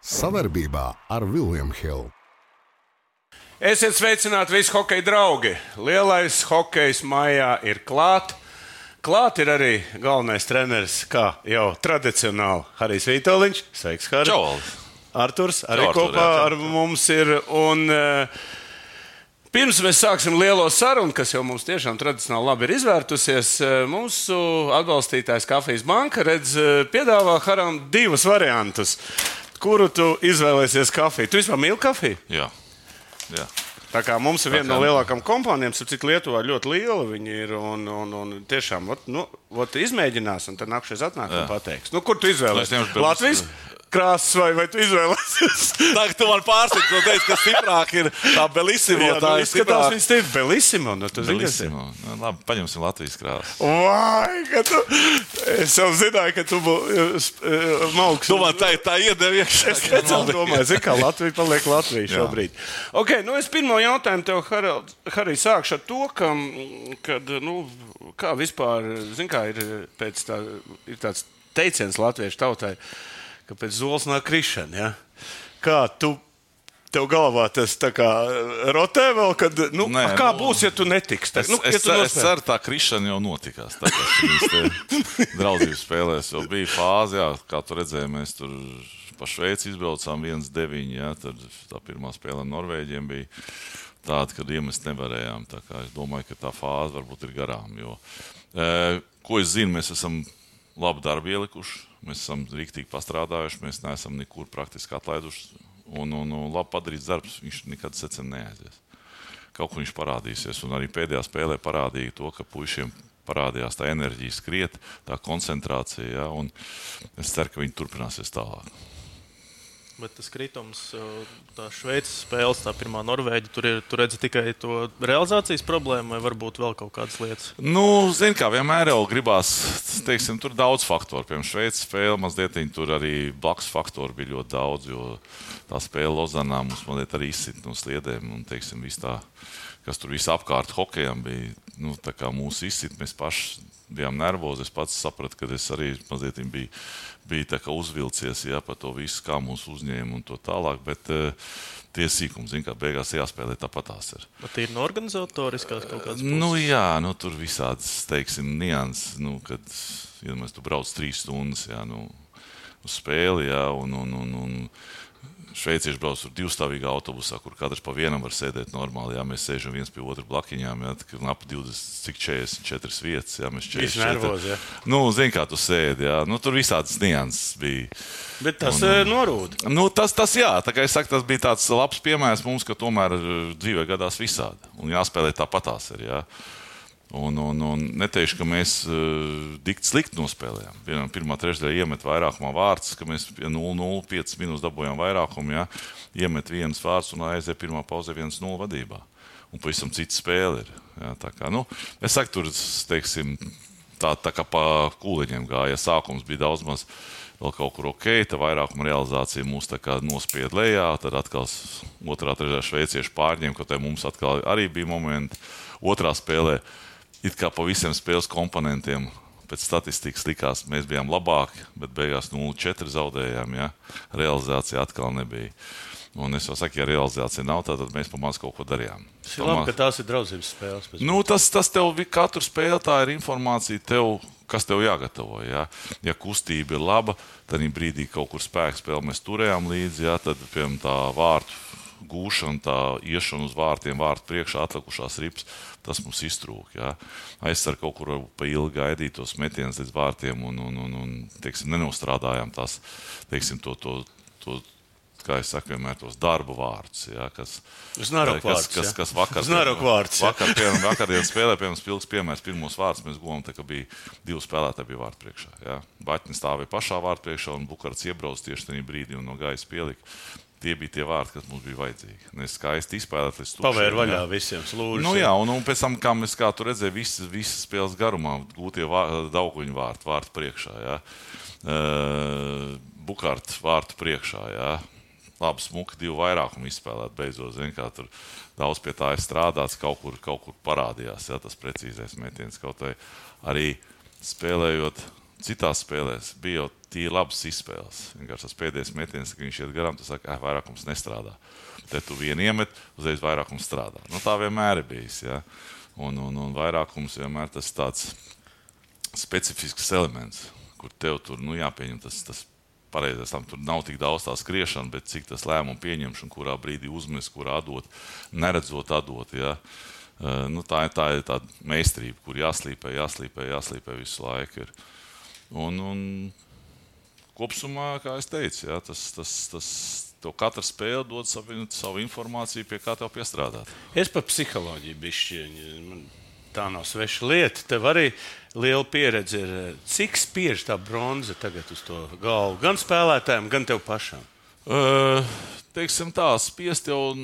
Savarbībā ar William Hill. Esiet sveicināti visi hokeja draugi. Lielais hokejs maijā ir klāt. Klāt ir arī galvenais treneris, kā jau tradicionāli, Harijs Vitoļņš. Sveiks, Harij. Čau! Arturs arī kopā ar mums ir. Un pirms mēs sāksim lielo sarunu, kas jau mums tiešām tradicionāli labi ir izvērtusies, mūsu atbalstītājs Kafijas banka piedāvā Haram divus variantus, kuru tu izvēlēsies kafiju. Tu vispār mīli kafiju? Jā. Tā kā mums ir viena no lielākām kompānijām, cik Lietuvā ļoti liela viņi ir, un tiešām izmēģinās, un tad nākšies atnāk un pateiks. Kur tu izvēlēsies? Latvijas krāsas vai tu izvēlēsies? Tagad tu man pārsaka, tu teici, ka stiprāk ir tā Bellissimo. Jā, tā ir stiprāk. Viņas tev Bellissimo. Bellissimo. Labi, paņemsim Latvijas krāsas. Vai, ka tu... Es jau zināju, ka tu malks. Tu man tā iedevi iekšā. Es speciāli domāju, zini, kā Latvija paliek Latvija šobrīd. Ok, es pirmo jautājumu tev, Harij, sākšu ar to, kad, kā vispār, zini, kā ir tāds teiciens latviešu tautai, ka pēc zoles nāk krišana, ja? Kā tev galvā tas tā kā rotē vēl, kad, kā būs, ja tu netiks? Es ceru, tā krišana jau notikās. Tā kā šīs draudzības spēlēs jau bija fāze, jā, kā tu redzēji, mēs tur pa Šveici izbraucām 1-9, jā, tad tā pirmā spēle Norvēģiem bija tāda, kad iemest nevarējām. Tā kā es domāju, ka tā fāze varbūt ir garām, jo, ko es zinu, mēs esam labu darbu ielikuši, mēs esam riktīgi pastrādājuši, mēs neesam nekur praktiski atlaiduši, un labi padarīts darbs, viņš nekad secen neaizies. Kaut kur viņš parādīsies, un arī pēdējā spēlē parādīja to, ka puišiem parādījās tā enerģija skriet, tā koncentrācija, ja, un es ceru, ka viņi turpināsies tālāk. Bet tas kritums, tā Šveices spēles, tā pirmā Norvēģija, tur redzi tikai to realizācijas problēmu vai varbūt vēl kaut kādas lietas? Zini, kā vienmēr jau gribās, teiksim, tur daudz faktoru. Piemēram, Šveices spēle mazliet, tur arī blakus faktori bija ļoti daudz, jo tā spēle Lozanā mums mazliet arī izsit no sliedēm un, teiksim, viss tā, kas tur viss apkārt hokejam bija, tā kā mūs izsit, mēs paši bijām nervozi. Es pats sapratu, ka es arī mazliet biju tā kā uzvilcies, jā, par to visu, kā mūs uzņēma un to tālāk, bet tie sīkumi, zin, kā beigās jāspēlē, tāpat tās ir. Bet ir no organizatoriskās kaut kādas puses? Jā, tur visādas, teiksim, nianses, kad, ja mēs tu brauc 3 stundas, jā, uz spēli, jā, un šveicieši brauc tur 2-stāvīgā autobusā, kur katrs pa vienam var sēdēt normāli. Jā, mēs sēžam viens pie otra blakiņām, jā, ap 44 vietas. Jā, mēs 44. Viss nervozi, jā. Zini, kā tu sēdi, jā. Tur visādas nianses bija. Bet tas norūda. Tas jā, tā kā es saku, tas bija tāds labs piemērs mums, ka tomēr dzīvē gadās visādi. Un jāspēlē tāpatās ir, jā. Un neteikšu, ka mēs dikti slikti nospēlējām. Pirmā trešdaļa iemet vairākumā vārds, ka mēs 0-0, 5 minūtes dabūjām vairākumu, jā, iemet vienas vārds un aiziet pirmā pauzē 1-0 vadībā. Un pavisam cita spēle ir. Jā, tā kā, es saku, tur, teiksim, tā kā pa kūliņiem gāja. Sākums bija daudz maz vēl kaut kur ok, tā vairākuma realizācija mūs tā kā nospied lejā, tad atkal otrā trešdaļa šveicieši pārņēma, kaut kā mums atkal arī bija momenti. Otrā spēlē it kā pa visiem spēles komponentiem pēc statistikas likās, mēs bijām labāki, bet beigās 0-4 zaudējām, ja? Realizācija atkal nebija. Un es jau saku, ja realizācija nav, tad mēs pamāc kaut ko darījām. Tas ir labi, ka tās ir draudzības spēles. Tas tev, katru spēli tā ir informācija tev, kas tev jāgatavo, ja? Ja kustība ir laba, tad brīdī kaut kur spēku spēli mēs turējām līdzi, ja? Tad, piemēram, tā vārtu gūšana, tā iešana uz vārtiem, vārtu priekšā atlikušās rips, tas mums iztrūk. Ja? Aizsar kaut kur pa ilgi gaidīt tos metienus līdz vārtiem un teiksim, nenostrādājām tās, teiksim, to, kā es saku, vienmēr tos darba vārdus. Ja? Kas vakardienas spēlē, piemēram, spilgs piemērs, pirmos vārdus mēs guvām, tā kā bija 2 spēlētāji bija vārtu priekšā. Ja? Baķnis stāvēja pašā vārtu priekšā un Bukarts iebrauc tieši tajā brīdī un no gaisa pielika. Tie bija tie vārdi, kas mums bija vajadzīgi. Mēs skaisti izspēlēt līdz tukšiem. Pavēr vaļā visiem slūžiem. Un pēc tam, kā tu redzēji, visas spēles garumā gūtie Dauguņu vārtu priekšā. Ja? Bukārt vārtu priekšā. Ja? Labi smuki 2 vairākumu izspēlēt beidzot. Zin, kā tur daudz pie tā ir strādāts, kaut kur parādījās, ja? Tas precīzais metiens. Kaut vai arī spēlējot citās spēlēs bija jau tie labas izspēles. Vienkārši tas pēdējais metiens, ka viņš iet garām, tu saki, vairākums nestrādā. Te tu vienu iemet, uzreiz vairākums strādā. Tā vienmēr ir bijis, ja. Un vairākums vienmēr tas tāds specifisks elements, kur tev tur, jāpieņem tas pareizais. Tam tur nav tik daudz tā skriešana, bet cik tas lēmumu pieņemšana, kurā brīdī uzmest, kurā atdot, neredzot atdot, ja. Tā ir tāda meistarība, kur jāslīpē visu laiku ir. Un kopsumā, kā es teicu, ja, tev katra spēle dod savu informāciju, pie kā tev piestrādāt. Es par psiholoģiju bišķiņu. Tā nav sveša lieta. Tev arī liela pieredze ir. Cik spiež tā bronza tagad uz to galvu? Gan spēlētājiem, gan tev pašam? Teiksim tā, spiest jau...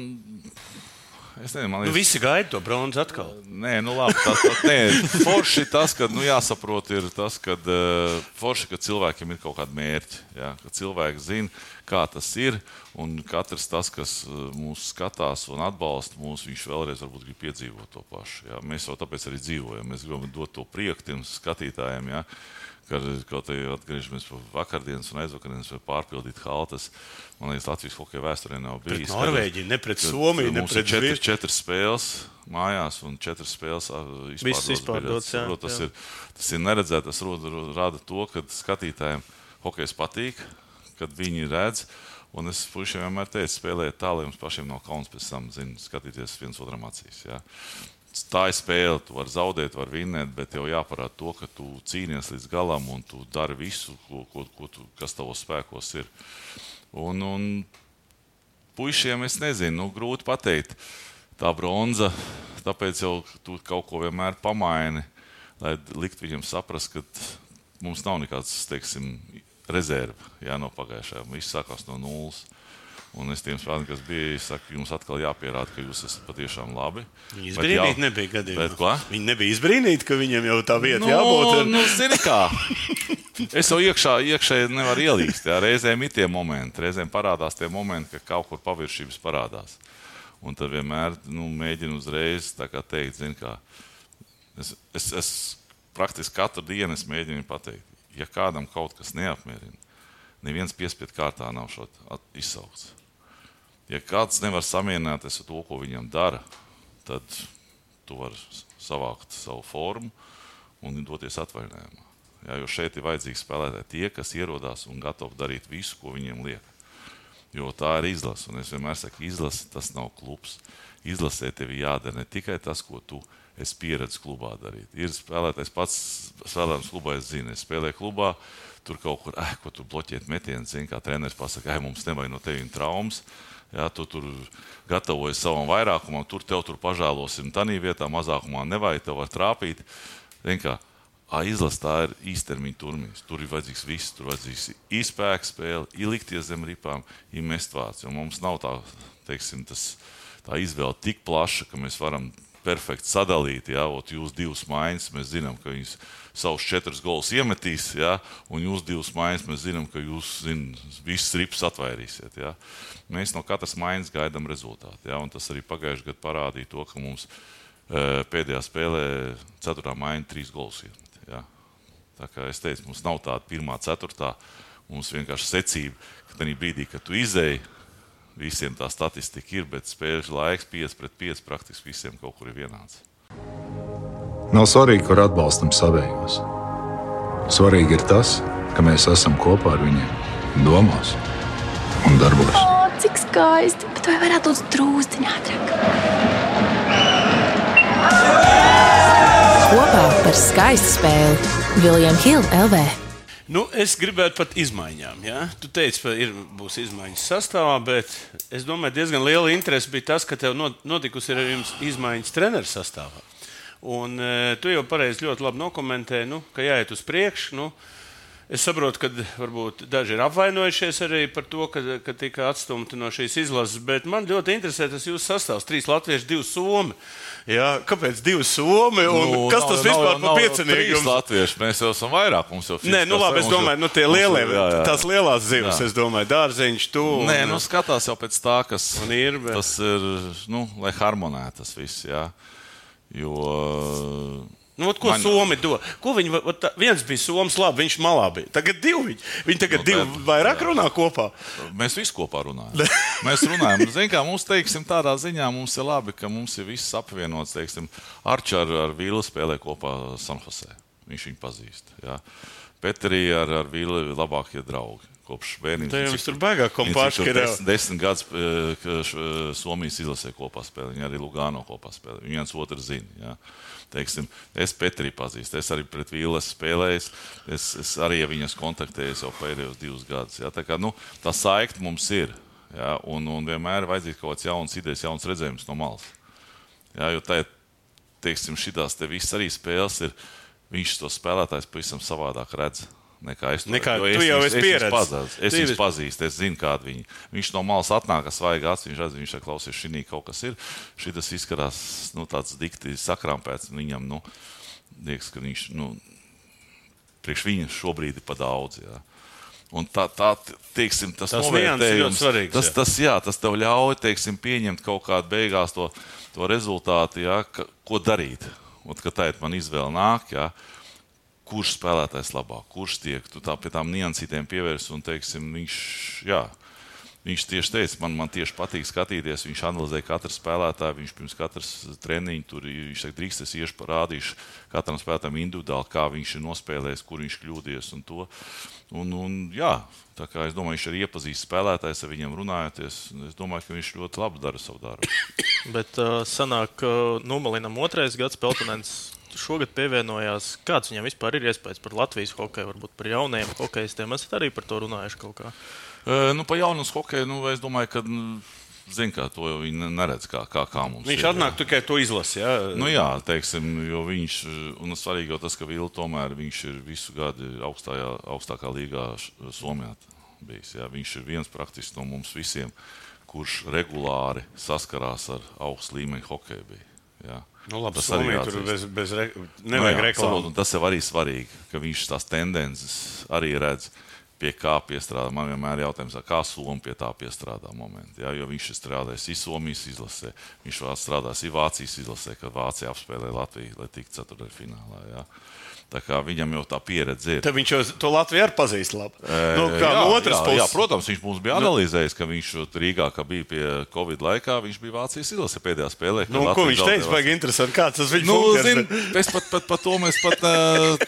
Es nezinu, man liekas... Visi gaida to bronzu atkal. Nē, labi. Forši tas, ka jāsaprot ir tas, ka forši, ka cilvēkiem ir kaut kādi mērķi. Ja? Ka cilvēki zina, kā tas ir, un katrs tas, kas mūs skatās un atbalsta mūs, viņš vēlreiz varbūt grib piedzīvot to pašu. Ja? Mēs jau tāpēc arī dzīvojam. Mēs gribam dot to prieku tiem skatītājiem, ja? Kaut arī atgriežamies pie vakardienas un aizvakardienas vai pārpildīt haltas. Man liekas, Latvijas hokeja vēsturē nav bijis. Pret Norvēģiju, ne pret Somiju, ne pret Zviedriju. 4 spēles mājās un 4 spēles izpārdotas. Tas ir neredzēt, tas rada to, ka skatītājiem hokejs patīk, kad viņi redz. Un es puišiem vienmēr teicu, spēlēt tā, lai jums pašiem nav kauns pēc tam, skatīties viens otram acīs. Ja? Tā ir spēle, tu vari zaudēt, vari vinnēt, bet tev jāparāda to, ka tu cīnies līdz galam un tu dari visu, kas tavos spēkos ir. Un puišiem es nezinu, grūti pateikt. Tā bronza, tāpēc jau tu kaut ko vienmēr pamaini, lai likt viņam saprast, ka mums nav nekāds, teiksim, rezerve, no pagājušajā. Viss sākās no nulles. Un es tiem spēlētājiem, kas bija, saku, jums atkal jāpierāda, ka jūs esat patiešām labi. Viņi izbrīnīti nebija gadījumā. Viņi nebija izbrīnīti, ka viņiem jau tā vieta jābūt. Zini kā. Es jau iekšēji nevaru ielīst. Jā. Reizēm ir tie momenti, reizēm parādās tie momenti, ka kaut kur paviršības parādās. Un tad vienmēr mēģinu uzreiz tā kā teikt, zini kā. Es praktiski katru dienu es mēģinu pateikt, ja kādam kaut kas neapmierina, neviens piespiedu kārtā nav šot izsaukts. Ja kāds nevar samierināties ar to, ko viņam dara, tad tu vari savākt savu formu un doties atvaļinājumā. Ja, jo šeit ir vajadzīgi spēlētāji tie, kas ierodās un gatavi darīt visu, ko viņiem liek. Jo tā ir izlase. Un es vienmēr saku, izlase tas nav klubs. Izlasē tev jādara ne tikai tas, ko tu esi pieredzis klubā darīt. Ir spēlētājs pats spēlētājs klubā, es zinu, es spēlēju klubā, tur kaut kur, ko tur bloķēt metienu, zini, kā treneris pasaka, mums nevajag no tevīm traumas. Ja, tu tur gatavojies savam vairākumam, tev tur pažēlosim tanī vietā, mazākumā nevajag, tev var trāpīt. Izlas tā ir īstermiņa turnīrs. Tur ir vajadzīgs viss, tur vajadzīgs izspēka spēle, ielikties zem ripām, mest vārds. Jo mums nav tā, teiksim, tā izvēle tik plaša, ka mēs varam perfekti sadalīt. Ja, jūs 2 maiņas, mēs zinām, ka viņas savus 4 golus iemetīs, ja, un jūs 2 maiņas, mēs zinām, ka jūs visas ripas atvairīsiet. Ja. Mēs no katras maiņas gaidām rezultātu. Ja, un tas arī pagājušajā gadā parādīja to, ka mums pēdējā spēlē 4. maiņa 3 golus iemet. Ja. Tā kā es teicu, mums nav tāda 1. 4. Mums vienkārši secība, ka tajā brīdī, kad tu izēji, visiem tā statistika ir, bet spēļu laiks 5-5 praktiski visiem kaut kur ir vienāds. Nav svarīgi, kur atbalstam savējos. Svarīgi ir tas, ka mēs esam kopā ar viņiem domās un darbos. O, cik skaisti, bet vai varētu būt drūzdiņā ātrāk? Kopā par skaistu spēli William Hill LV. Es gribētu pat izmaiņām. Ja? Tu teici, ka būs izmaiņas sastāvā, bet es domāju, diezgan liela interese bija tas, ka tev notikusi ar jums izmaiņas treneru sastāvā. Un tu jau pareizi ļoti labi nokomentēji, ka jāiet uz priekšu. Es saprotu, ka varbūt daži ir apvainojušies arī par to, ka tika atstumti no šīs izlases, bet man ļoti interesē tas jūsu sastāvs. 3 latvieši, 2 somi. Jā, kāpēc 2 somi? Kas tas vispār par piecinieku? 3 latvieši, mēs jau esam vairāk. Mums jau Nē, labi, es domāju, tie lielie, tās lielās zivs, es domāju, dārzeņš, tu. Nē, skatās jau pēc tā, kas ir, bet... tas ir, lai harmonē tas viss, jā. Jo Nu, ko Somi do? Ko viņi, viens bija Soms labi, viņš malā bija. Tagad divi. Viņi tagad divi vairāk runā kopā. Mēs visi kopā runājam. Mēs runājam. Zin kā, mums, teiksim, tādā ziņā mums ir labi, ka mums ir viss apvienots, teiksim, Arčs ar Vīlu spēlē kopā San Jose. Viņš viņu pazīst. Jā. Petrī ar Vīlu labākie draugi. Kopš bērnības. Tā jau tur baigā kompāši, ka 10 gadus Somijas izlasē kopā spēlē. Viņi arī Lugano kopā spēlē. Viņi viens otru zina. Jā. Teiksim, es Petrī pazīstu. Es arī pret Vīlu esmu spēlējis. Es arī viņas kontaktējos jau pēdējos 2 gadus. Jā. Tā kā, tā saikta mums ir. Jā. Un vienmēr ir vajadzīgs kaut kāds jauns idejas, jauns redzējums no malas. Jā, jo tā, teiksim, šitās te viss arī spēles ir, viņš to spēlētājs pavisam savādāk redz. Nekā es to tu jau esi pieredzējis. Es viņus pazīstu, es zinu, kāda viņi. Viņš no malas atnāk, svaigi acis, viņš redz, viņš klausies, šī kaut kas ir. Šitas izskatās, tāds dikti sakrampēts, viņam, liekas, ka viņš, priekš viņa šobrīd ir pa daudz, jā. Un tā teiksim, tas novērtējums, tas tev ļauj, teiksim, pieņemt kaut kādu beigās to rezultātu, jā, ko darīt. Un, kad tā man izvēle nāk, jā, kurš spēlētājs labāk, kurš tiek, tu tā pie tām niansītēm pievērs un, teiksim, viņš tieši teica, man tieši patīk skatīties, viņš analizē katru spēlētāju, viņš pirms katras treniņu tur, viņš saka, drīkst es iešu parādīšu katram spēlētājam individuāli, kā viņš ir nospēlējis, kur viņš kļūdies un to. Un jā, tā kā es domāju, viņš arī iepazīst spēlētājs ar viņiem runājoties, es domāju, ka viņš ļoti labi dara savu darbu. Bet sanāk, Numalinam 2. gads Peltonens šogad pievienojās. Kāds viņam vispār ir iespējas par Latvijas hokeju, varbūt par jaunajiem hokejistiem? Esat arī par to runājuši kaut kā? Pa jaunas hokeju, es domāju, ka, zin kā, to jau viņi neredz, kā mums viņš ir. Atnāk tikai to izlasi, jā? Jā, teiksim, jo viņš, un svarīgi jau tas, ka Vila tomēr, viņš ir visu gadu augstākā līgā Somijā bijis, jā. Viņš ir viens praktiski no mums visiem, kurš regulāri saskarās ar augstu līmeņu hokeju bija, jā. Labi, Somija tur nevajag reklāmu. Tas jau arī svarīgi, ka viņš tās tendences arī redz, pie kā piestrādā. Man vienmēr jautājums, kā Somi pie tā piestrādā momenti. Jā, jo viņš ir strādājis Somijas izlasē, viņš strādājis Vācijas izlasē, kad Vācija apspēlē Latviju, lai tiktu ceturtdaļfinālā. Jā. Tā kā viņam jau tā pieredze ir. Tad viņš jau to Latviju arī pazīst labi. No otras puses. Jā, protams, viņš mums bija analizējis, ka viņš Rīgā, ka bija pie Covid laikā, viņš bija Vācijas izlase pēdējā spēlē. Ko viņš teica, baigi interesanti, kāds tas viņa funkcijas? Mēs par to mēs pat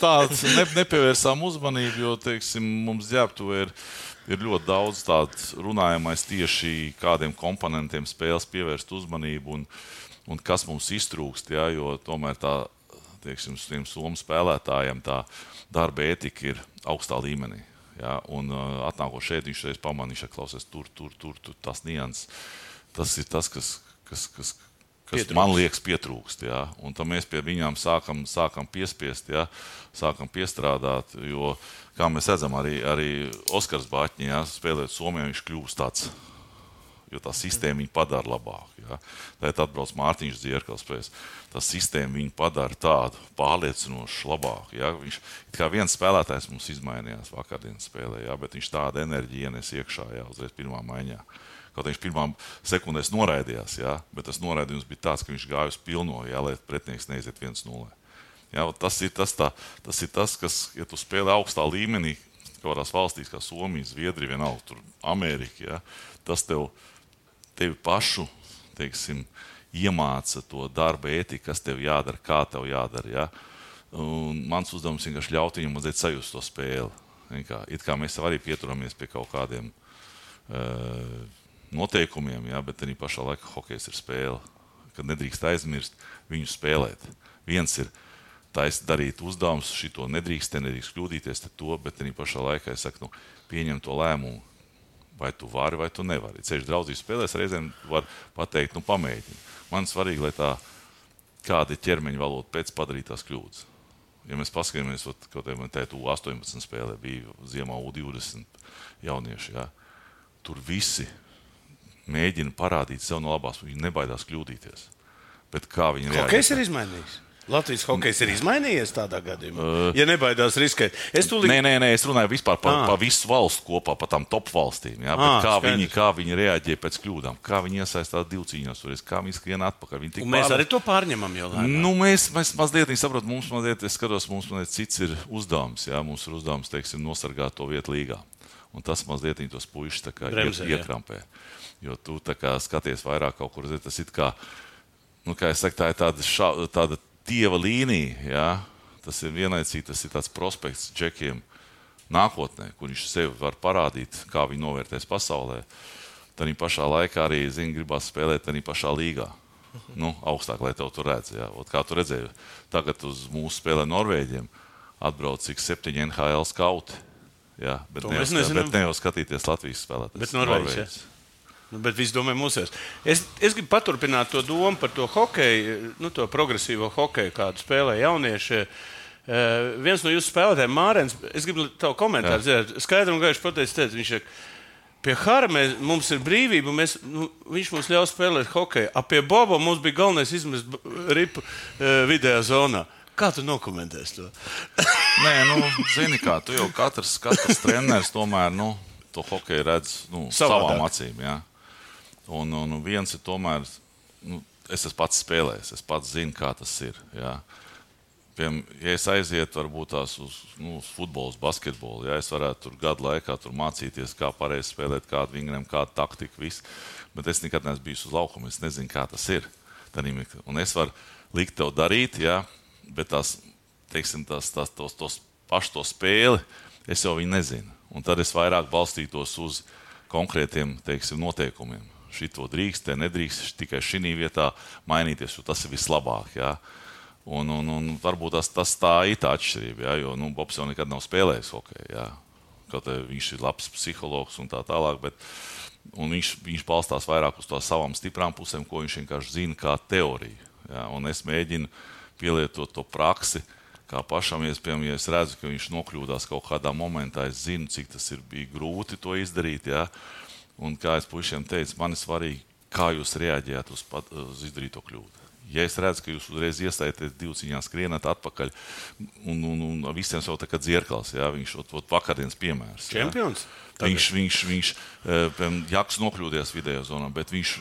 tāds nepievērsām uzmanību, jo, teiksim, mums ģērbtuvē ir ļoti daudz tāds runājamais tieši kādiem komponentiem spēles pievērst uzmanību un kas mums iztrūkst, jā, jo tomēr tā, teiksim, tiem Somu spēlētājiem tā darba ētika ir augstā līmenī. Ja? Un atnākot šeit, viņš reiz pamanīja, ka klausies tur, tas nians. Tas ir tas, kas man liekas pietrūkst. Ja? Un tad mēs pie viņām sākam piespiest, ja? Sākam piestrādāt, jo, kā mēs redzam, arī Oskars Baķņi, ja? Spēlēt Somijā, viņš kļūst tāds, jo tā sistēma viņu padara labāk. Ja? Tad atbrauc Mārtiņš Dzierkals, tā sistēma viņu padara tādu pārliecinošu labāku. Ja? Viņš, kā viens spēlētājs mums izmainījās vakardienas spēlē, ja? Bet viņš tādu enerģiju ienes iekšā, ja? Uzreiz pirmā maiņā. Kaut viņš pirmā sekundēs noraidījās, ja? Bet tas noraidījums bija tāds, ka viņš gāja uz pilno, ja? Lai pretinieks neiziet 1-0. Ja? Tas ir tas, kas, ja tu spēlē augstā līmenī, kādās valstīs kā Somija, Zviedrija, vienalga, tur Amerika, ja? Tas tevi pašu, teiksim, iemāca to darba ētiku, kas tev jādara, kā tev jādara. Ja? Un mans uzdevums vienkārši ļaut viņam mazliet sajust to spēli. It kā mēs arī pieturamies pie kaut kādiem noteikumiem, ja? Bet arī pašā laikā hokejs ir spēle, kad nedrīkst aizmirst viņu spēlēt. Viens ir darīt uzdevums, šito nedrīkst kļūdīties, bet arī pašā laikā es saku, pieņem to lēmumu. Vai tu vari, vai tu nevari. Ceļš draudzības spēlēs reizēm var pateikt, pamēģini. Man svarīgi, lai tā kāda ir ķermeņa valoda pēc padarītās kļūdas. Ja mēs paskatāmies, kaut kā U18 spēlē bija ziemā U20 jaunieši, jā. Tur visi mēģina parādīt sev no labās, viņi nebaidās kļūdīties. Bet kā viņi reaģē? Hokejs ir izmainījis. Latvijas hokejs ir izmainījies tādā gadījumā, ja nebaidās riskēt. Nē, es runāju vispār par visu valstu kopā, par tām top valstīm. Ja? Kā viņi reaģē pēc kļūdām, kā viņi iesaistās divcīņos, kā viņi skrien atpakaļ. Mēs arī to pārņemam jau. Mēs mazliet, saprotam, mums cits ir uzdevums. Ja? Mums ir uzdevums, teiksim, nosargāt to vietu līgā. Un tas mazliet tos puišus iekrampē. Jo tu skaties vairāk kaut kur, tas ir kā es saku, tā ir tāda tieva līnija, jā. Tas ir vienlaicīgi, tas ir tāds prospekts džekiem nākotnē, kur viņš sevi var parādīt, kā viņi novērtēs pasaulē. Tādā pašā laikā arī, gribās spēlēt tādā pašā līgā. Augstāk, lai tev tur redz. Jā. Kā tu redzēji, tagad uz mūsu spēlē Norvēģiem atbrauc 7 NHL skauti. Jā, bet ne jau skatīties Latvijas spēlētājs. Bet Norvēģis, bet viss domāju mūsēs. Es gribu paturpināt to domu par to hokeju, to progresīvo hokeju, kādu spēlē jaunieši. Viens no jūsu spēlētājiem, Mārens, es gribu tavu komentāru zināt. Skaidri un gaiši pateicis, viņš ir, pie Hara mums ir brīvība, viņš mums ļauj spēlēt hokeju. Pie Boba mums bija galvenais izmest ripu vidējā zonā. Kā tu nokomentēsi to? Nē, zini kā, tu jau katrs treneris tomēr, to hokeju redz savām acīm, jā. Un viens ir tomēr, es esmu pats spēlējis, es pats zinu, kā tas ir. Jā. Ja es aizietu varbūt tās uz futbolu, basketbolu, ja es varētu tur gadu laikā tur mācīties, kā pareizi spēlēt, kādu vingriem, kādu taktiku, visu. Bet es nekad neesmu bijis uz laukuma, es nezinu, kā tas ir. Un es varu likt tev darīt, jā, bet tos pašu to spēli, es jau viņu nezinu. Un tad es vairāk balstītos uz konkrētiem, noteikumiem. Šito drīkst, te nedrīkst tikai šī vietā mainīties, jo tas ir vislabāk. Ja? Un varbūt tas tā ir tā atšķirība, ja? Jo Bobs jau nekad nav spēlējis hokeju. Ja? Kaut viņš ir labs psihologs un tā tālāk, bet viņš balstās vairāk uz tām savām stiprām pusēm, ko viņš vienkārši zina kā teoriju. Ja? Un es mēģinu pielietot to praksi, kā pašam, ja es redzu, ka viņš nokļūdās kaut kādā momentā, es zinu, cik tas bija grūti to izdarīt. Ja? Un kā es puišiem teicu, man ir svarīgi, kā jūs reaģējat uz izdarīto kļūdu. Ja es redzu, ka jūs uzreiz iestājaties divcīņā, skrienat atpakaļ, un visiem jau tā kā dzierkals, ja? Viņš vakardienas piemērs. Čempions? Ja? Viņš Jaks nokļūdies vidējā zonā, bet viņš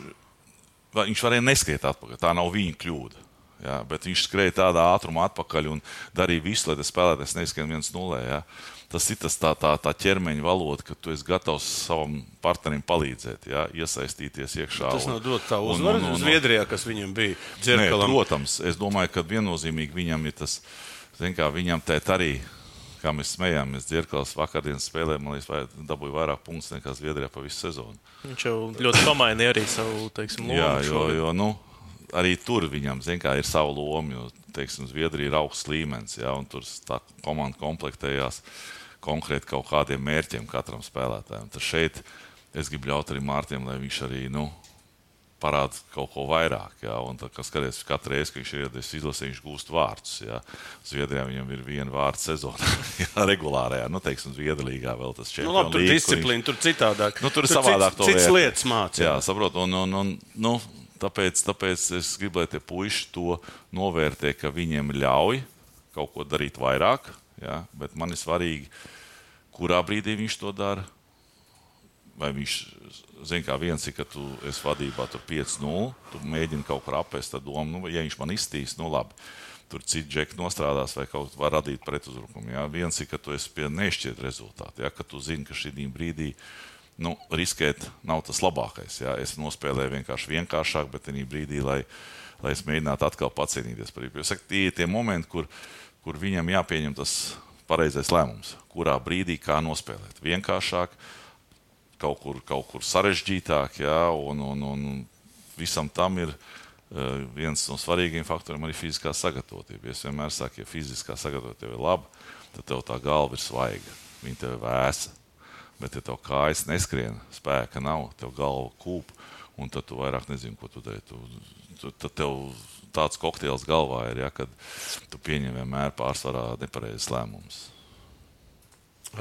varēja neskriet atpakaļ, tā nav viņa kļūda. Ja? Bet viņš skrēja tādā ātrumā atpakaļ un darīja visu, lai tas spēlētājs neskrien 1-0. Ja? Tas ir tā ķermeņa valoda, ka tu esi gatavs savam partnerim palīdzēt, ja? Iesaistīties iekšā. Tas nav dot tā uzvaru Zviedrijā, kas viņam bija dzerkalam. Nē, protams, es domāju, ka viennozīmīgi viņam ir tas, viņam tēt arī, kā mēs smējāmies, dzerkals vakardienas spēlē, man liekas, dabūja vairāk punktus nekā Zviedrijā pa visu sezonu. Viņš jau ļoti pamainīja arī savu, lomu. Jā, jo arī tur viņam, ir sava loma, jo, Zviedrija ir augsts līmenis, ja? Un tur tā komanda komplektējās konkrēti kaut kādiem mērķiem katram spēlētājam. Tad šeit es gribu ļaut arī Mārtiem, lai viņš arī parāda kaut ko vairāk. Ja? Un tad, skaties, katru reizi, ka viņš ir iedies izlasē, viņš gūst vārdus. Ja? Zviedrijā viņam ir 1 vārds sezonā, ja? Regulārajā, Zviedrīgā vēl tas čempionu labi, tur disciplīna, tur citādāk. Tur savādāk to cits lietas māca. Jā, saprot, tāpēc es gribu, lai tie puiši to novērtē, ka viņiem ļauj kaut ko darīt vairāk. Ja, bet man ir svarīgi, kurā brīdī viņš to dara. Vai viņš, viens ir, ka tu esi vadībā 5-0, tu mēģini kaut kur apēst tā domu, ja viņš man izstīs, labi, tur citi džeki nostrādās vai kaut var radīt pretuzbrukumu. Ja. Viens ir, ka tu esi pie nešķiet rezultātu, ja, ka tu zini, ka šī brīdī riskēt nav tas labākais. Ja. Es nospēlēju vienkāršāk, bet tajā brīdī, lai es mēģinātu atkal pacīnīties par viņu. Tie ir tie momenti, kur viņam jāpieņem tas pareizais lēmums, kurā brīdī kā nospēlēt. Vienkāršāk, kaut kur sarežģītāk, ja, un visam tam ir viens no svarīgiem faktoriem arī fiziskā sagatavotība. Es vienmēr saku, ja fiziskā sagatavotība ir laba, tad tev tā galva ir svaiga, viņa tev ir vēsa. Bet ja tev kājas neskrien, spēka nav, tev galva kūp, un tad tu vairāk nezini, ko tu dari. Tad tev tāds kokteils galvā ir, ja, kad tu pieņem vienmēr pārsvarā nepareizes lēmumus.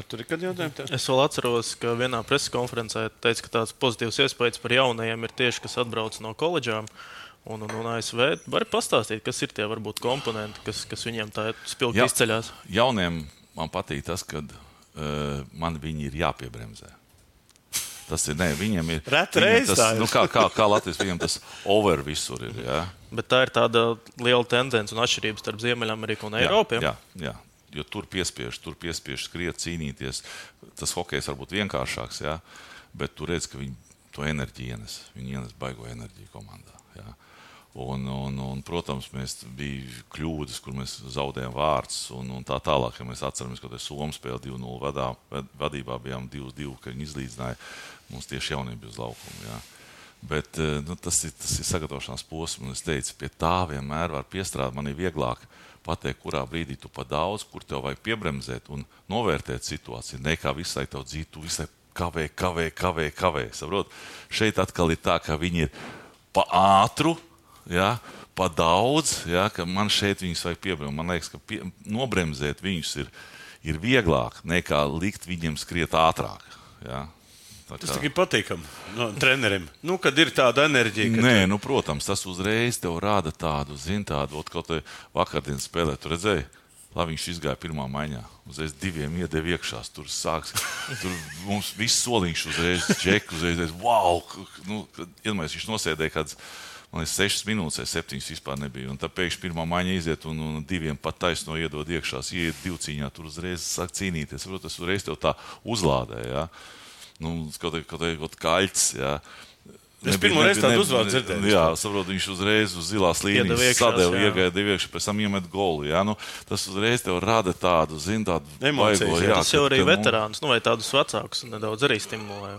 Tur ir kādi jautājumi tev? Es vēl atceros, ka vienā preses konferencē teica, ka tāds pozitīvs iespējas par jaunajiem ir tieši, kas atbrauc no koledžām. Un ASV var pastāstīt, kas ir tie varbūt komponenti, kas viņiem tā spilgti izceļās? Jauniem man patīk tas, ka man viņi ir jāpiebremzē. Tas ir, viņiem ir... Reta reize tā ir. Kā Latvijas, viņiem tas over visur ir, jā. Bet tā ir tāda liela tendence un atšķirības starp Ziemeļameriku un Eiropu. Jā. Jo tur piespiež skriet, cīnīties. Tas hokejs varbūt vienkāršāks, jā. Bet tu redz, ka viņi to enerģiju ienes. Viņi ienes baigo enerģiju komandā, jā. Un protams, mēs bija kļūdas, kur mēs zaudējām vārds un tā tālāk, ja mēs atceramies, ka Somu spēle 2-0 vadībā bijām 2-2, ka viņi izlīdzināja. Mums tieši jaunība uz laukumu, jā. Bet tas ir sagatavošanās posms, un es teicu, pie tā vienmēr var piestrādāt. Man ir vieglāk pateikt, kurā brīdī tu pa daudz, kur tev vajag piebremzēt un novērtēt situāciju. Ne kā visai tev dzīt, tu visai kavē. Saprot? Šeit atkal ir tā, ka viņi ir pa ātru, jā, pa daudz, jā, ka man šeit viņus vajag piebremzēt. Man liekas, ka nobremzēt viņus ir vieglāk nekā likt viņiem skriet ātrāk, jā. Tas tikai patīkam no treneriem. Kad ir tāda enerģija. Nē, protams, tas uzreiz tev rāda tādu, kaut te vakardienas spēlē, tu redzēji, lai viņš izgāja pirmā maiņā. Uzreiz 2 iedeva iekšās, tur mums viss soliņš uzreiz, džek uzreiz, wow! Iedomājies, viņš nosēdēja kāds, man liekas, 6 minūtes, 7 vispār nebija. Un tā pēkšņi pirmā maiņa iziet un 2 pat taisno iedod iekšās, ieiet 2 cīņā, tur uzreiz sāk cīnīties. Tas uzreiz tev tā uzlādē, jā. Kaut kaļķis, jā. Es pirmo reizi tādu uzvārdu dzirdēju. Jā, saprotu, viņš uzreiz uz zilās līnijas sadeva, iegāja iekšā, pēc tam iemet golu, jā. Tas uzreiz tev rada tādu, emocijas, baigo, jā. Tas jau arī veterānus, vai tādus vecākus nedaudz arī stimulē.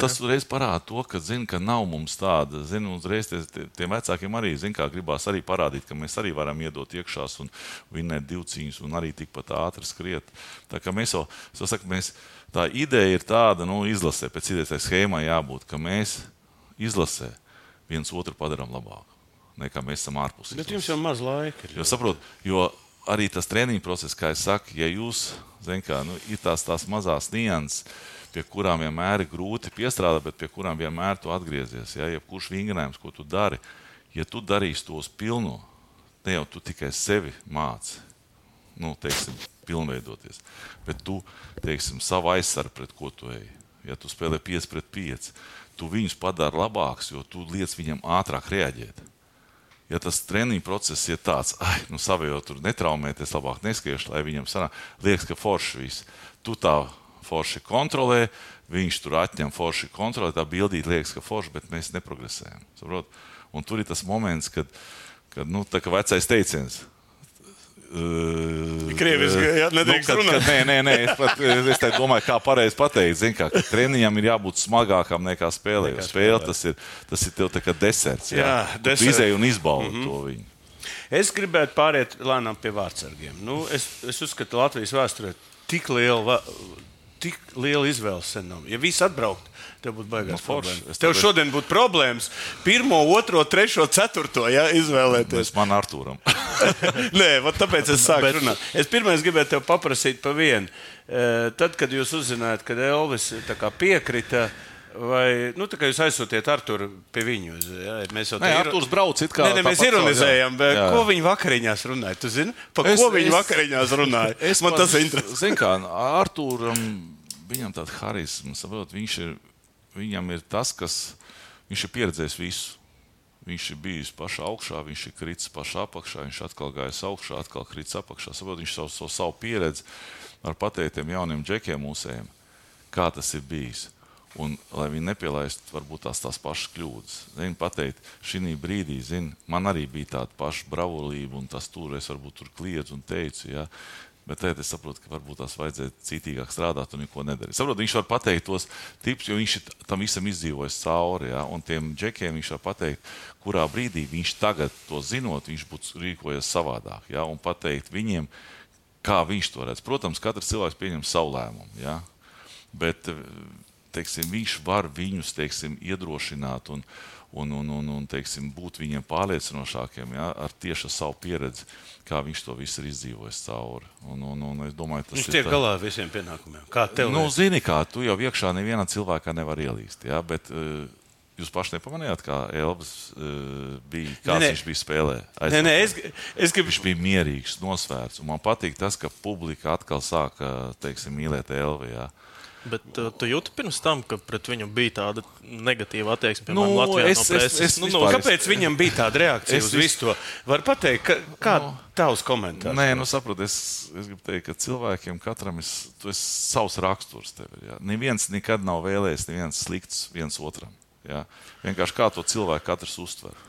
Tas uzreiz parāda to, ka nav mums tāda, uzreiz tiem vecākiem arī, kā gribās arī parādīt, ka mēs arī varam iedot iekšās un vinnēt 2 cīņas un arī tikpat ātri skriet. Tā kā mēs tā ideja ir tāda, izlasē, pēc idejas tai schēmai jābūt, ka mēs izlasē viens otru padarām labāku, nekā mēs esam ārpus. Bet jums jau maz laika. Jo arī tas treniņu process, kā es saku, ja jūs, ir tās mazās nianses, pie kurām vienmēr ir grūti piestrādāt, bet pie kurām vienmēr tu atgriezies. Ja kurš vingrinājums, ko tu dari, ja tu darīsi tos pilno, ne jau tu tikai sevi māci, pilnveidoties, bet tu, savu aizsargu, pret ko tu ej. Ja tu spēlē 5-5, tu viņus padari labāks, jo tu liec viņam ātrāk reaģēt. Ja tas treniņu process ir tāds, savējo tur netraumēties, labāk neskieši, lai viņam sanāk, liekas, ka forši viss. Tu tā forši kontrolē, viņš tur atņem forši kontrolē, tā bildīt liekas, ka forši, bet mēs neprogresējam. Saprot? Un tur ir tas moments, kad tā kā vecais teiciens, Krieviski, nedrīkst runāt. Nē, es tā domāju, kā pareizi pateikt. Ka treniņam ir jābūt smagākam nekā spēlē. Spēle tas ir tev tā kā deserts. Jā, tu izēji un izbaudi to viņu. Es gribētu pāriet lēnām pie vārdsargiem. Es uzskatu, Latvijas vēsturē tik liela izvēles sen nav. Ja viss atbraukt, tev būtu baigās problēmas. Tev šodien būtu problēmas 1, 2, 3, 4 izvēlēties. Man Artūram. Nē, tāpēc es sāku runāt. Es pirmais gribētu tev paprasīt pa vienu. Tad, kad jūs uzzinājāt, kad Elvis piekrita, vai tā kā jūs aizsūtiet Artūru pie viņu? Artūrs brauc it kā. Mēs ironizējam, bet ko viņi vakariņās runāja? Tu zini, ko viņi vakariņās runāja? Man tas ir interesanti. Zini kā, Artūram, viņam tāda harisma, saprot, viņam ir tas, kas viņš ir pieredzējis visu. Viņš ir bijis pašā augšā, viņš ir kritis pašā apakšā, viņš atkal gājis augšā, atkal kritis apakšā. Saprot, viņš savu pieredzi var pateikt tiem jauniem džekiem mūsējiem, kā tas ir bijis. Un, lai viņi nepielaist varbūt tās pašas kļūdas. Pateikt, šī brīdī, man arī bija tāda paša bravurība, un tas tur es varbūt tur kliedzu un teicu, jā. Bet tagad es saprotu, ka varbūt tās vajadzēja citīgāk strādāt un neko nedarīt. Saprot, viņš var pateikt tos tipus, jo viņš tam visam izdzīvojas cauri, jā. Un tiem džekiem viņš var pateikt, kurā brīdī viņš tagad to zinot, viņš būtu rīkojies savādāk, jā. Un pateikt viņiem, kā viņš to redz. Protams, katrs cilvēks pieņem savu lēmumu, jā. Bet viņš var viņus, iedrošināt un būt viņiem pārliecinošākiem, ja, ar tieši savu pieredzi, kā viņš to visu ir izdzīvojis cauri. Un es domāju, tas viņš tiek galā ar visiem pienākumiem. Kā tev? Zini kā, tu jau iekšā nevienā cilvēkā nevar ielīst, ja, bet Jūs paši nepamanījāt, kā Elvis bija, kāds viņš bija spēlē? Nē, es gribu... Viņš bija mierīgs, nosvērts. Un man patīk tas, ka publika atkal sāka, teiksim, mīlēt Elvi, jā. Bet tu jūti pirms tam, ka pret viņu bija tāda negatīva attieksme, piemēram, Latvijā no preses? Kāpēc viņam bija tāda reakcija uz visu to? Var pateikt, kā tavs komentārs? Nē, saprot, es gribu teikt, ka cilvēkiem katram tu esi savs raksturs tevi. Jā. Neviens nekad nav vēlējis, neviens slikts viens otram. Jā. Vienkārši kā to cilvēku katrs uztver.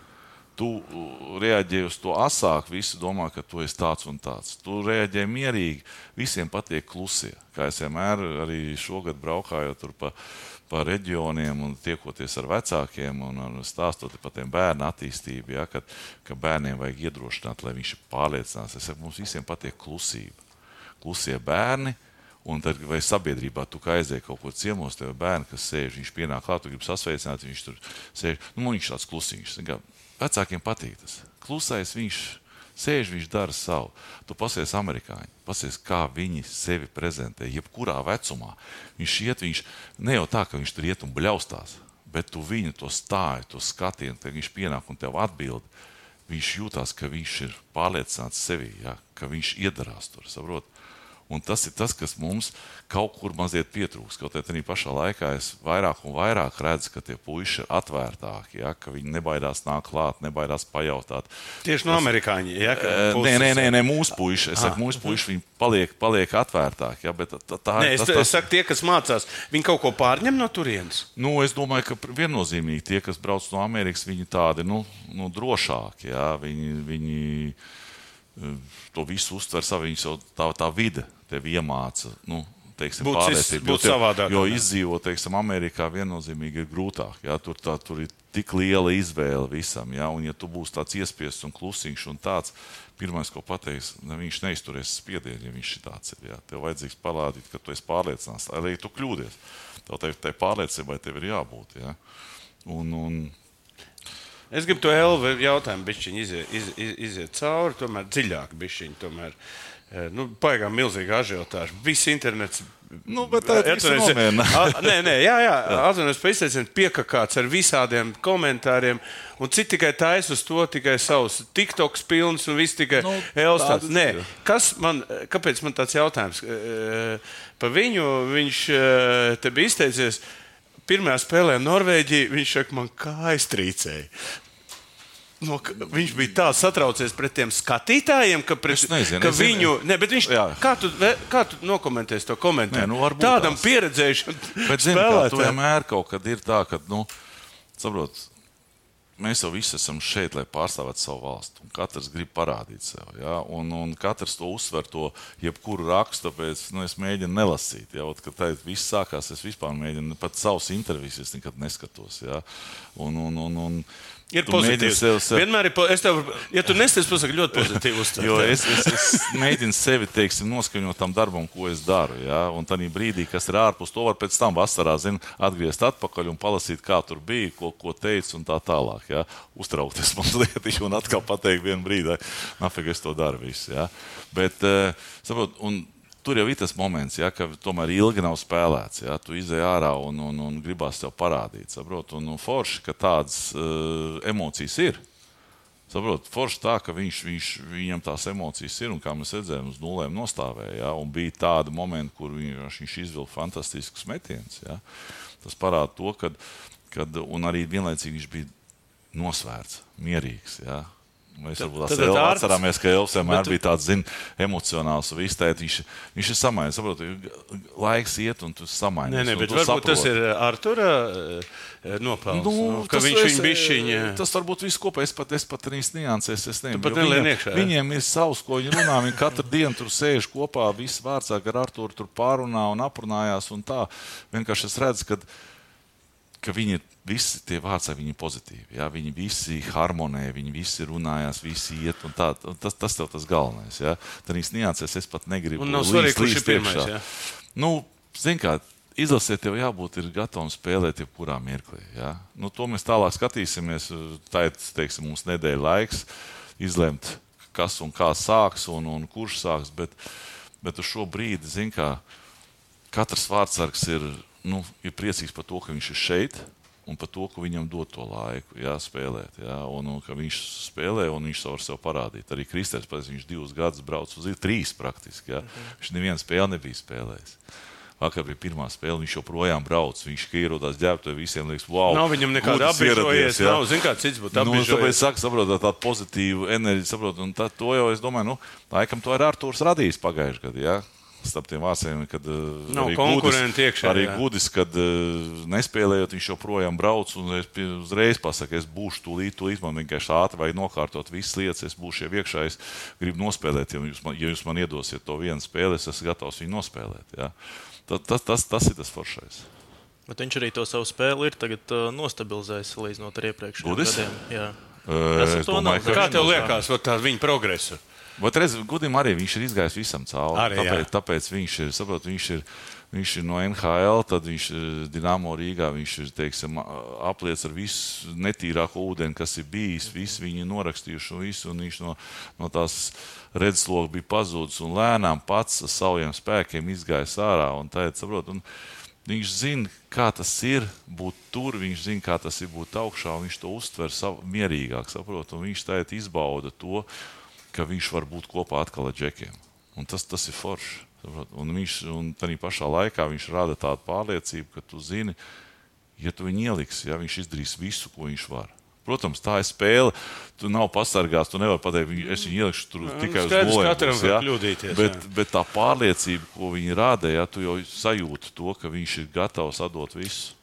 Tu reaģēji uz to asāk, visi domā, ka tu esi tāds un tāds. Tu reaģēji mierīgi, visiem patiek klusie. Kā es vienmēr arī šogad braukājot tur pa reģioniem un tiekoties ar vecākiem un stāstot par tiem bērnu attīstību, ja, ka bērniem vajag iedrošināt, lai viņš pārliecinās. Es saku, mums visiem patiek klusība. Klusie bērni. Un tad, vai sabiedrībā tu kā aizēji kaut ko ciemos, tev bērni, kas sēž, viņš pienāk klāt, tu gribi sasveicināt, viņš tur sēž. Viņš tāds klusiņš. Vecākiem patīk tas. Klusais viņš sēž, viņš dara savu. Tu pasies amerikāņi, pasies, kā viņi sevi prezentē, jebkurā vecumā. Viņš ne jau tā, ka viņš tur iet un bļaustās, bet tu viņu to stāju, to skatienu, tad viņš pienāk un tev atbild. Viņš jūtās, ka viņš ir pārliecināts sevī, ja, ka viņš iedarās tur, saprot. Un tas ir tas, kas mums kaut kur mazliet pietrūks. Kaut arī pašā laikā es vairāk un vairāk redzu, ka tie puiši ir atvērtāki, ja, ka viņi nebaidās nākt klāt, nebaidās pajautāt. Tieši no amerikāņi, ja? Nē, mūsu puiši. Es saku, mūsu puiši, viņi paliek atvērtāki. Ja, bet es saku, tie, kas mācās, viņi kaut ko pārņem no turienes? Es domāju, ka viennozīmīgi tie, kas brauc no Amerikas, viņi tādi, drošāki, ja, viņi to visu uztver savu, tā vide tevi iemāca, pārliecību. Būt savādāk. Jo izdzīvot, Amerikā viennozīmīgi ir grūtāk. Ja? Tur ir tik liela izvēle visam. Ja? Un ja tu būsi tāds iespiests un klusiņš un tāds, pirmais, ko pateiks, viņš neizturēs spiedienu, ja viņš ir tāds. Ja? Tev vajadzīgs parādīt, ka tu esi pārliecināts, lai tu kļūdies. Tai pārliecībai tev ir jābūt. Ja? Es gribu to Elvi jautājumu bišķiņ iziet cauri, tomēr dziļāk bišķiņ, tomēr. Paigām milzīgi ažiotāži. Viss internets. Bet tā ir visu nomierina. Atvainojos par izteicienu, piekakāts ar visādiem komentāriem, un citi tikai taisa uz to, tikai savus TikToks pilns un viss tikai Elvis tāds. Nē, kāpēc man tāds jautājums? Par viņu viņš te bija izteicies, pirmajā spēlē Norvēģija, viņš saka, man kājas trīcēja. Viņš bija tā satraucies pret tiem skatītājiem, ka viņu... Bet viņš, kā tu nokomentēsi to komentāru? Tādam pieredzējušam spēlētājam. Tu vienmēr kaut kad ir tā, ka, saprot, mēs jau visi esam šeit, lai pārstāvētu savu valstu. Un katrs grib parādīt sev. Ja? Un katrs to uzsver, to jebkuru rakstu, tāpēc es mēģinu nelasīt. Ja? Kad tā viss sākās, es vispār mēģinu, pat savus intervijas es nekad neskatos. Ja? Ir pozitīvs. Vienmēr ja tu nesties, pasaka, ļoti pozitīvi uztver. Jo es mēģinu sevi, noskaņot tam darbam, ko es daru. Ja? Un tādā brīdī, kas ir ārpus, to var pēc tam vasarā, atgriezt atpakaļ un palasīt, kā tur bija, ko teicu un tā tālāk. Ja? Uztraukties mazliet un atkal pateikt vienu brīdi, nafig es to daru visu. Ja? Bet, saprot, un tur jau ir tas moments, ja, ka tomēr ilgi nav spēlēts. Ja, tu izej ārā un gribās tev parādīt. Saprot, un forši, ka tādas emocijas ir. Saprot, forši tā, ka viņam tās emocijas ir, un kā mēs redzējām, uz nulēm nostāvēja. Ja, un bija tādi momenti, kur viņš izvilka fantastiskus metienus. Ja. Tas parāda to, un arī vienlaicīgi viņš bija nosvērts, mierīgs. Ja. Mēs varbūt atcerāmies, ka Elvis vienmēr bija tāds, emocionāls un izteikt. Viņš ir samainījis. Saprot, laiks iet un tu samainījies. Nē, bet varbūt tas ir Artura nopelns. Ka viņš bišķiņa... Tas varbūt viss kopā. Es pat arī niansēs. Viņiem ir savs, ko viņi runā. Viņi katru dienu tur sēž kopā, visi vārdsāk ar Arturu tur pārunā un aprunājās un tā. Vienkārši es redzu, ka viņi visi tie vārdsā, viņi ir pozitīvi. Ja? Viņi visi harmonē, viņi visi runājās, visi iet un tā. Tas tev tas galvenais. Ja? Tad viņas niansēs, es pat negribu un nav svarīgi, kurš ir pirmais. Ja? Zin kā, izlasē tev jābūt ir gatavam spēlēt jebkurā mirklī. Ja? To mēs tālāk skatīsimies. Tā ir, mums nedēļa laiks izlemt, kas un kā sāks un kurš sāks. Bet uz šo brīdi, zin kā, katrs vārdsargs ir priecīgs par to, ka viņš ir šeit. un par to, ka viņam dod to laiku, spēlēt. Un ka viņš spēlē un viņš var sev parādīt. Arī Kristēns, viņš 2 gadus brauc uz 3 praktiski. Viņš nevienu spēli nebija spēlējis. Vakar bija pirmā spēle, viņš joprojām brauc. Viņš ierodās ģērbtuvē, visiem liekas, wow. Nav viņam nekāda apbižojies, nav, zin kā cits būtu apbižojies. Tāpēc saka, saprotot, tādu pozitīvu enerģiju, saprotot, un to jau es domāju, laikam to ir Artūrs radījis pagājuši gadu, Starp tiem vāciem, kad arī Gudis, kad nespēlējot, viņš joprojām brauc un es uzreiz pasaku, es būšu tūlīt, man vienkārši ātri vajag nokārtot visas lietas, es būšu jau iekšā, es gribu nospēlēt, ja jūs man iedosiet to vienu spēli, es esmu gatavs viņu nospēlēt. Tas ir tas foršais. Bet viņš arī to savu spēli ir tagad nostabilizējis salīdzinot ar iepriekšējiem gadiem. Gudis? Kā tev liekas tā viņa progresa? Bet redz, Gudim arī viņš ir izgājis visam cauri. Tāpēc viņš ir no NHL, tad viņš Dinamo Rīgā, viņš ir, teiksim, apliec ar visu netīrāko ūdeni, kas ir bijis, visu viņi norakstījuši un visu, un viņš no tās redzesloka bija pazūdis un lēnām pats ar saviem spēkiem izgājis ārā. Un tā, saprot, un viņš zina, kā tas ir būt tur, viņš zina, kā tas ir būt augšā, un viņš to uztver mierīgāk, saprot, un viņš tā izbauda to, ka viņš var būt kopā atkal ar džekiem. Un tas ir forši. Un tādā pašā laikā viņš rada tādu pārliecību, ka tu zini, ja tu viņu ieliksi, viņš izdarīs visu, ko viņš var. Protams, tā ir spēle, tu nav pasargās, tu nevari pateikt, es viņu ielikšu tur tikai uz goliem. Bet tā pārliecība, ko viņi rada, tu jau sajūti to, ka viņš ir gatavs atdot visu.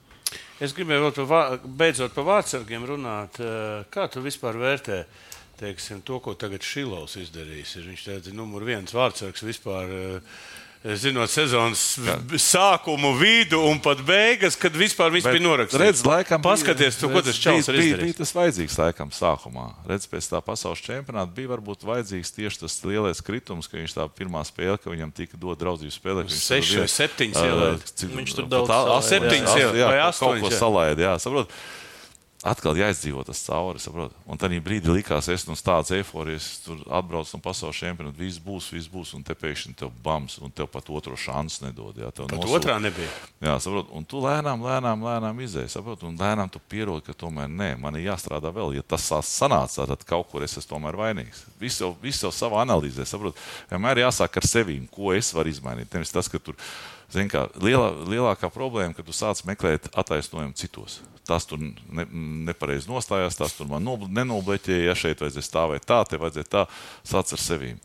Es gribēju vēl beidzot par vārdsargiem runāt. Kā tu vispār vērtē? Teiksim, to, ko tagad Šilovs izdarījis. Viņš ir numur 1 vārdsargs vispār, zinot sezonas sākumu, vidu un pat beigas, kad vispār viss bija norakstīts. Redz, laikam, paskaties, ko tas čals ir izdarījis. Bija tas vajadzīgs laikam sākumā. Redz, pēc tā pasaules čempionāta bija varbūt vajadzīgs tieši tas lielais kritums, ka viņš tā pirmā spēle, ka viņam tika dot draudzību spēlē. 6 vai 7 ielēd. Viņš tur daudz 7 ielēd vai 8. Kaut ko salaid, saprot. Atkal jāizdzīvo tas cauri, saprot. Un tad brīdī likās, es no tādas eiforijas tur atbraucu no pasaules čempionāta, viss būs, un te pēkšņi tev bams, un tev pat otro šansu nedod. Pat otrā nebija. Saprot. Un tu lēnām izēji, saprot, un lēnām tu pierodi, ka tomēr nē, man ir jāstrādā vēl. Ja tas sanāca, tad kaut kur es esmu tomēr vainīgs. Viss jau savā analīzē, saprot. Vienmēr jāsāk ar sevīm, ko es varu izmainīt. Nevis tas, ka tur, zin kā, lielākā problēma, ka tu sāc meklēt attaisnojumu citos. Tas tur nepareizi nostājās, tas tur man nenobleķēja, šeit vajadzēja stāvēt tā, te vajadzēja tā, sāc ar sevīm.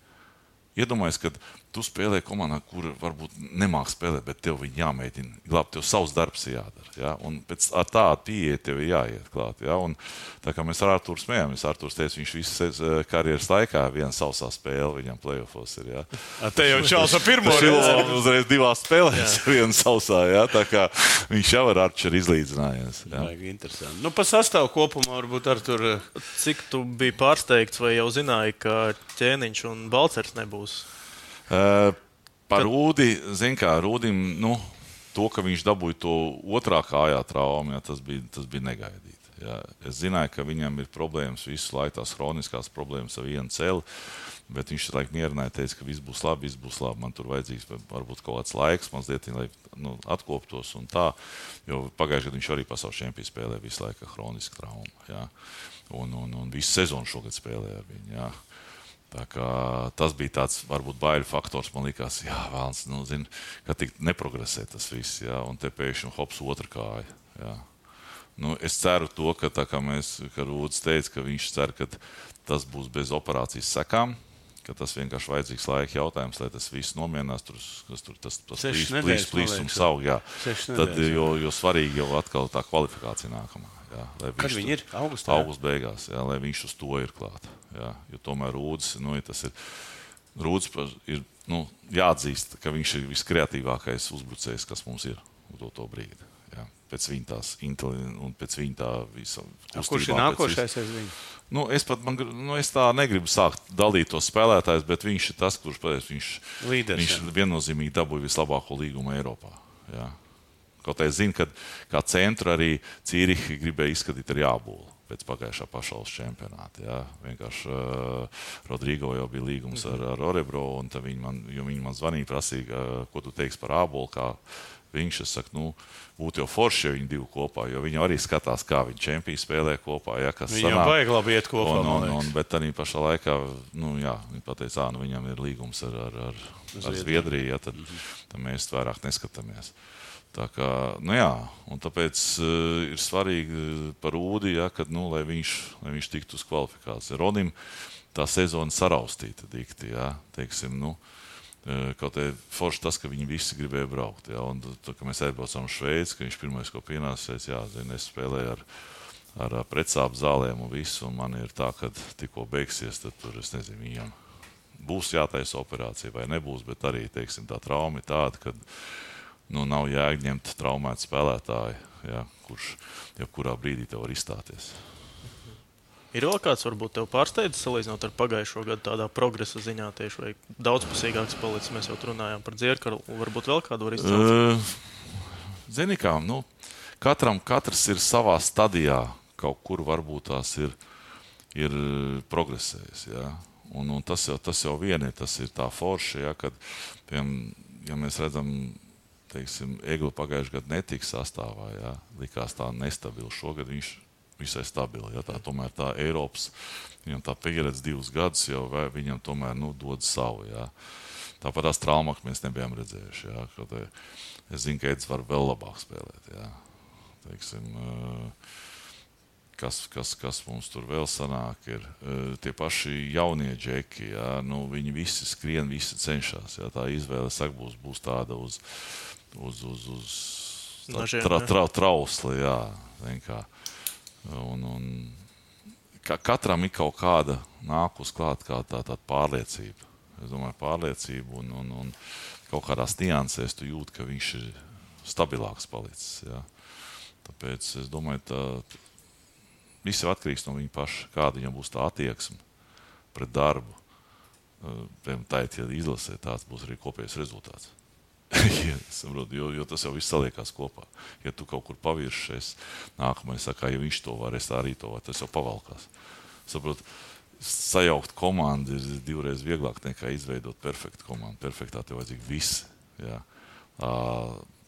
Iedomājies, ka tu spēlē komandā, kur varbūt nemāk spēlēt, bet tev viņi jāmēģina glābt, tev savs darbs jādara. Un pēc tāda pieeja tev ir jāiet klāt. Un tā kā mēs ar Artūru smējāmies, Artūrs teica, viņš visas karjeras laikā viena sausā spēle viņam playoffos ir. Te jau čals ar pirmo reizi. Uzreiz 2 spēlēs viena sausā, tā kā viņš jau ar Arčeru izlīdzinājies. Interesanti. Pa sastāvu kopumā varbūt Artūr. Cik tu biji pārsteigts vai jau zināji, ka Ķēniņš un Balcers nebūs? Par Rūdi, zin kā, Rūdim, to, ka viņš dabūja to otrā kājā traumu, tas bija negaidīti. Es zināju, ka viņam ir problēmas visu laiku, tās hroniskās problēmas ar vienu celi, bet viņš laik mierināja, teica, ka viss būs labi, man tur vajadzīgs varbūt kaut kāds laiks, mazliet, lai atkoptos un tā, jo pagājuši, kad viņš arī pasaules čempionu spēlē visu laiku ar hronisku traumu, un visu sezonu šogad spēlē ar viņu, Tā kā tas bija tāds, varbūt, baiļu faktors. Man likās, vēlns, ka tik neprogresē tas viss, un te pēkšņi hops otra kāja. Es ceru to, ka tā kā Rūdis teica, ka viņš cer, ka tas būs bez operācijas sekām, ka tas vienkārši vajadzīgs laika jautājums, lai tas viss nomierinās, tas plīs un saug, Tad, jo svarīgi jau atkal tā kvalifikācija nākamā. Kad viņi ir? Augustā? Augusta beigās, lai viņš uz to ir klāt. Jo tomēr Rūdis, Rūdis ir jāatzīst, ka viņš ir viskreatīvākais uzbrucējs, kas mums ir uz to brīdi. Pēc viņa tās un pēc viņa tā visa kustībā. Kurš ir nākošais aiz viņu? Es tā negribu sākt dalīt tos spēlētājus, bet viņš ir tas, kurš viņš viennozīmīgi dabūja vislabāko līgumu Eiropā. Kaut es zinu, ka kā centru arī Cīrihi gribēja izskatīt ar Jābolu. pēc pagājušā pasaules čempionāta. Jā. Vienkārši Rodrigo jau bija līgums ar Orebro, un viņi man zvanīja, prasīja, ko tu teiksi par ābolu, kā viņš, es saku, būtu jau forši, ja viņi divi kopā, jo viņi arī skatās, kā viņi čempiju spēlē kopā, ja, kas sanāk. Viņam vajag labi iet kopā, bet arī pašā laikā, viņi pateica, viņam ir līgums ar Zviedriju, ja, tad mēs vairāk neskatāmies. Tā kā, un tāpēc ir svarīgi par Ūdi, ja, kad, lai viņš tiktu uz kvalifikāciju. Rodim tā sezona saraustīta dikti, ja, teiksim, kaut arī forši tas, ka viņi visi gribēja braukt. Ja, un tad, kad mēs aizbraucām Šveici, ka viņš pirmais, ko pienāca, es spēlēju ar pretsāpu zālēm un visu, un man ir tā, ka tikko beigsies, tad tur, es nezinu, viņam būs jātaisa operācija vai nebūs, bet arī, teiksim, tā trauma ir tāda, ka nav jāņemt traumētu spēlētāju, ja, kurš jebkurā brīdī tev var izstāties. Ir vēl kāds, varbūt tev pārsteidzis, salīdzinot ar pagājušo gadu tādā progresa ziņā tieši, vai daudzpusīgāks palicis, mēs jau runājām par Dzierkaru, varbūt vēl kādu var izcelt? Zini kā, katrs ir savā stadijā, kaut kur varbūt tās ir progresējis, ja, un tas jau vieni, tas ir tā forši, ja, kad, ja mēs redzam, teiksim, Egli pagājušajā gadu netika sastāvā, ja, likās tā nestabili, šogad viņš visai stabili. Ja, tomēr tā Eiropas, viņam tā pieredze 2 gadus jau viņam tomēr dod savu. Ja. Tāpat tās traumas mēs nebijām redzējuši. Ja, es zinu, ka Edis var vēl labāk spēlēt. Ja. Teiksim, kas mums tur vēl sanāk, ir tie paši jaunie džeki. Ja. Viņi visi skrien, visi cenšas. Ja. Tā izvēle, būs tāda uz trausli. Ja. Un katram ir kaut kāda nākus klāt, kā tāda pārliecība. Es domāju, pārliecība un kaut kādās niansēs tu jūti, ka viņš ir stabilāks palicis. Ja. Tāpēc es domāju, viss ir atkarīgs no viņa paša, kāda viņam būs tā attieksme pret darbu. Tā ja izlasē, tāds būs arī kopējais rezultāts. jo tas jau viss saliekās kopā. Ja tu kaut kur paviršies, nākamais saka, ja viņš to var, es arī to var, tas jau pavalkās. Saprot, sajaukt komandu ir 2 reizes vieglāk nekā izveidot perfektu komandu. Perfektā tev vajadzīgi visi. Ja.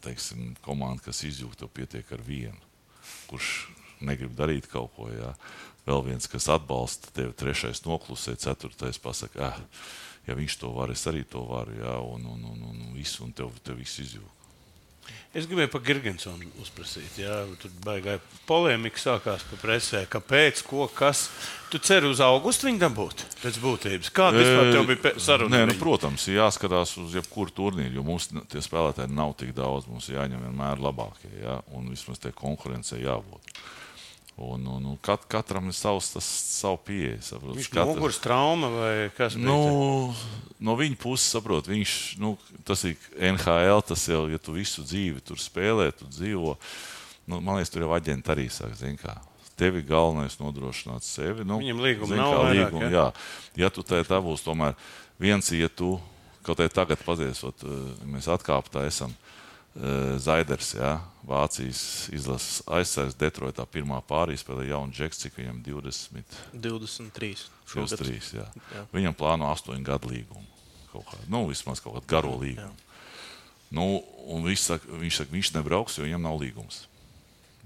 Teiksim, komanda, kas izjūg, tev pietiek ar vienu, kurš negrib darīt kaut ko. Ja. Vēl viens, kas atbalsta tevi, 3. noklusē, 4. pasaka, ja viņš to var, es arī to varu, ja, un tev viss izjūg. Es gribēju par Girgensonu uzprasīt. Ja, tur baigā polemika sākās pa presē. Kāpēc, ko, kas? Tu ceri uz augustu viņu dabūt pēc būtības? Kāda vispār tev bija saruna? Protams, jāskatās uz jebkuru turnīru, jo mums tie spēlētāji nav tik daudz. Mums jāņem vienmēr labākie, ja, un vismaz tie konkurencei jābūt. Un katram ir savu pieeja. Viņš muguras trauma vai kas? No viņa puses, saprot, tas ir NHL, tas jau, ja tu visu dzīvi tur spēlē, tu dzīvo, man liekas, tur jau aģenti arī saka, zin kā, tevi galvenais nodrošināt sevi. Viņam līguma nav vairāk, ja? Ja tu tā būs, tomēr viens, ja tu, kaut arī tagad paziesot, mēs atkāptā esam, Zaiders, ja, Vācijas izlases aizsargs Detroitā pirmā pārīspēlē jaunu džeks, cik viņam 23. 23, jā. Viņam plāno 8 gadu līgumu. Vismaz kaut kādu garo līgumu. Un viņš saka, viņš nebrauks, jo viņam nav līgums.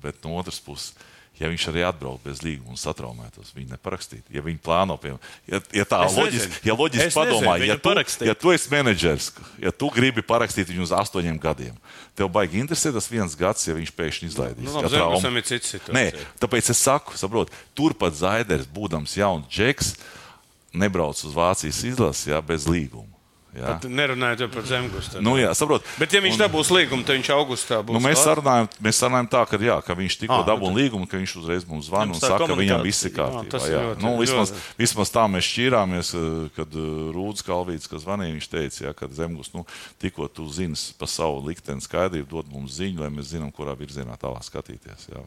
Bet no otras puses, ja viņš arī atbrauc bez līguma un satraumētos, viņi neparakstītu. Ja viņi plāno, ja loģiski padomā, ja tu esi menedžers, ja tu gribi parakstīt viņu uz 8 gadiem, tev baigi interesē tas 1 gads, ja viņš pēkšņi izlaidīs. Zembusam ir cita situācija. Nē, tāpēc es saku, saprot, turpat Zaiders, būdams jauns džeks, nebrauc uz Vācijas izlases, ja, bez līguma. Ja. Pat nerunājot par Zemgustu. Saprot. Bet ja viņš dabūs līgumu, tad viņš augustā būs. Mēs sarunājam tā, ka viņš tikko dabūna līgumu, ka viņš uzreiz mums zvana un saka, ka viņam viss ir kārtībā. Vismaz tā mēs šķīrāmies, kad Rūdz Kalvīts, kas zvanīja, viņš teica, ka Zemgust, tikko tu zini pa savu likteni skaidrību, dod mums ziņu, lai mēs zinām, kurā virzienā tālāk skatīties. Jā.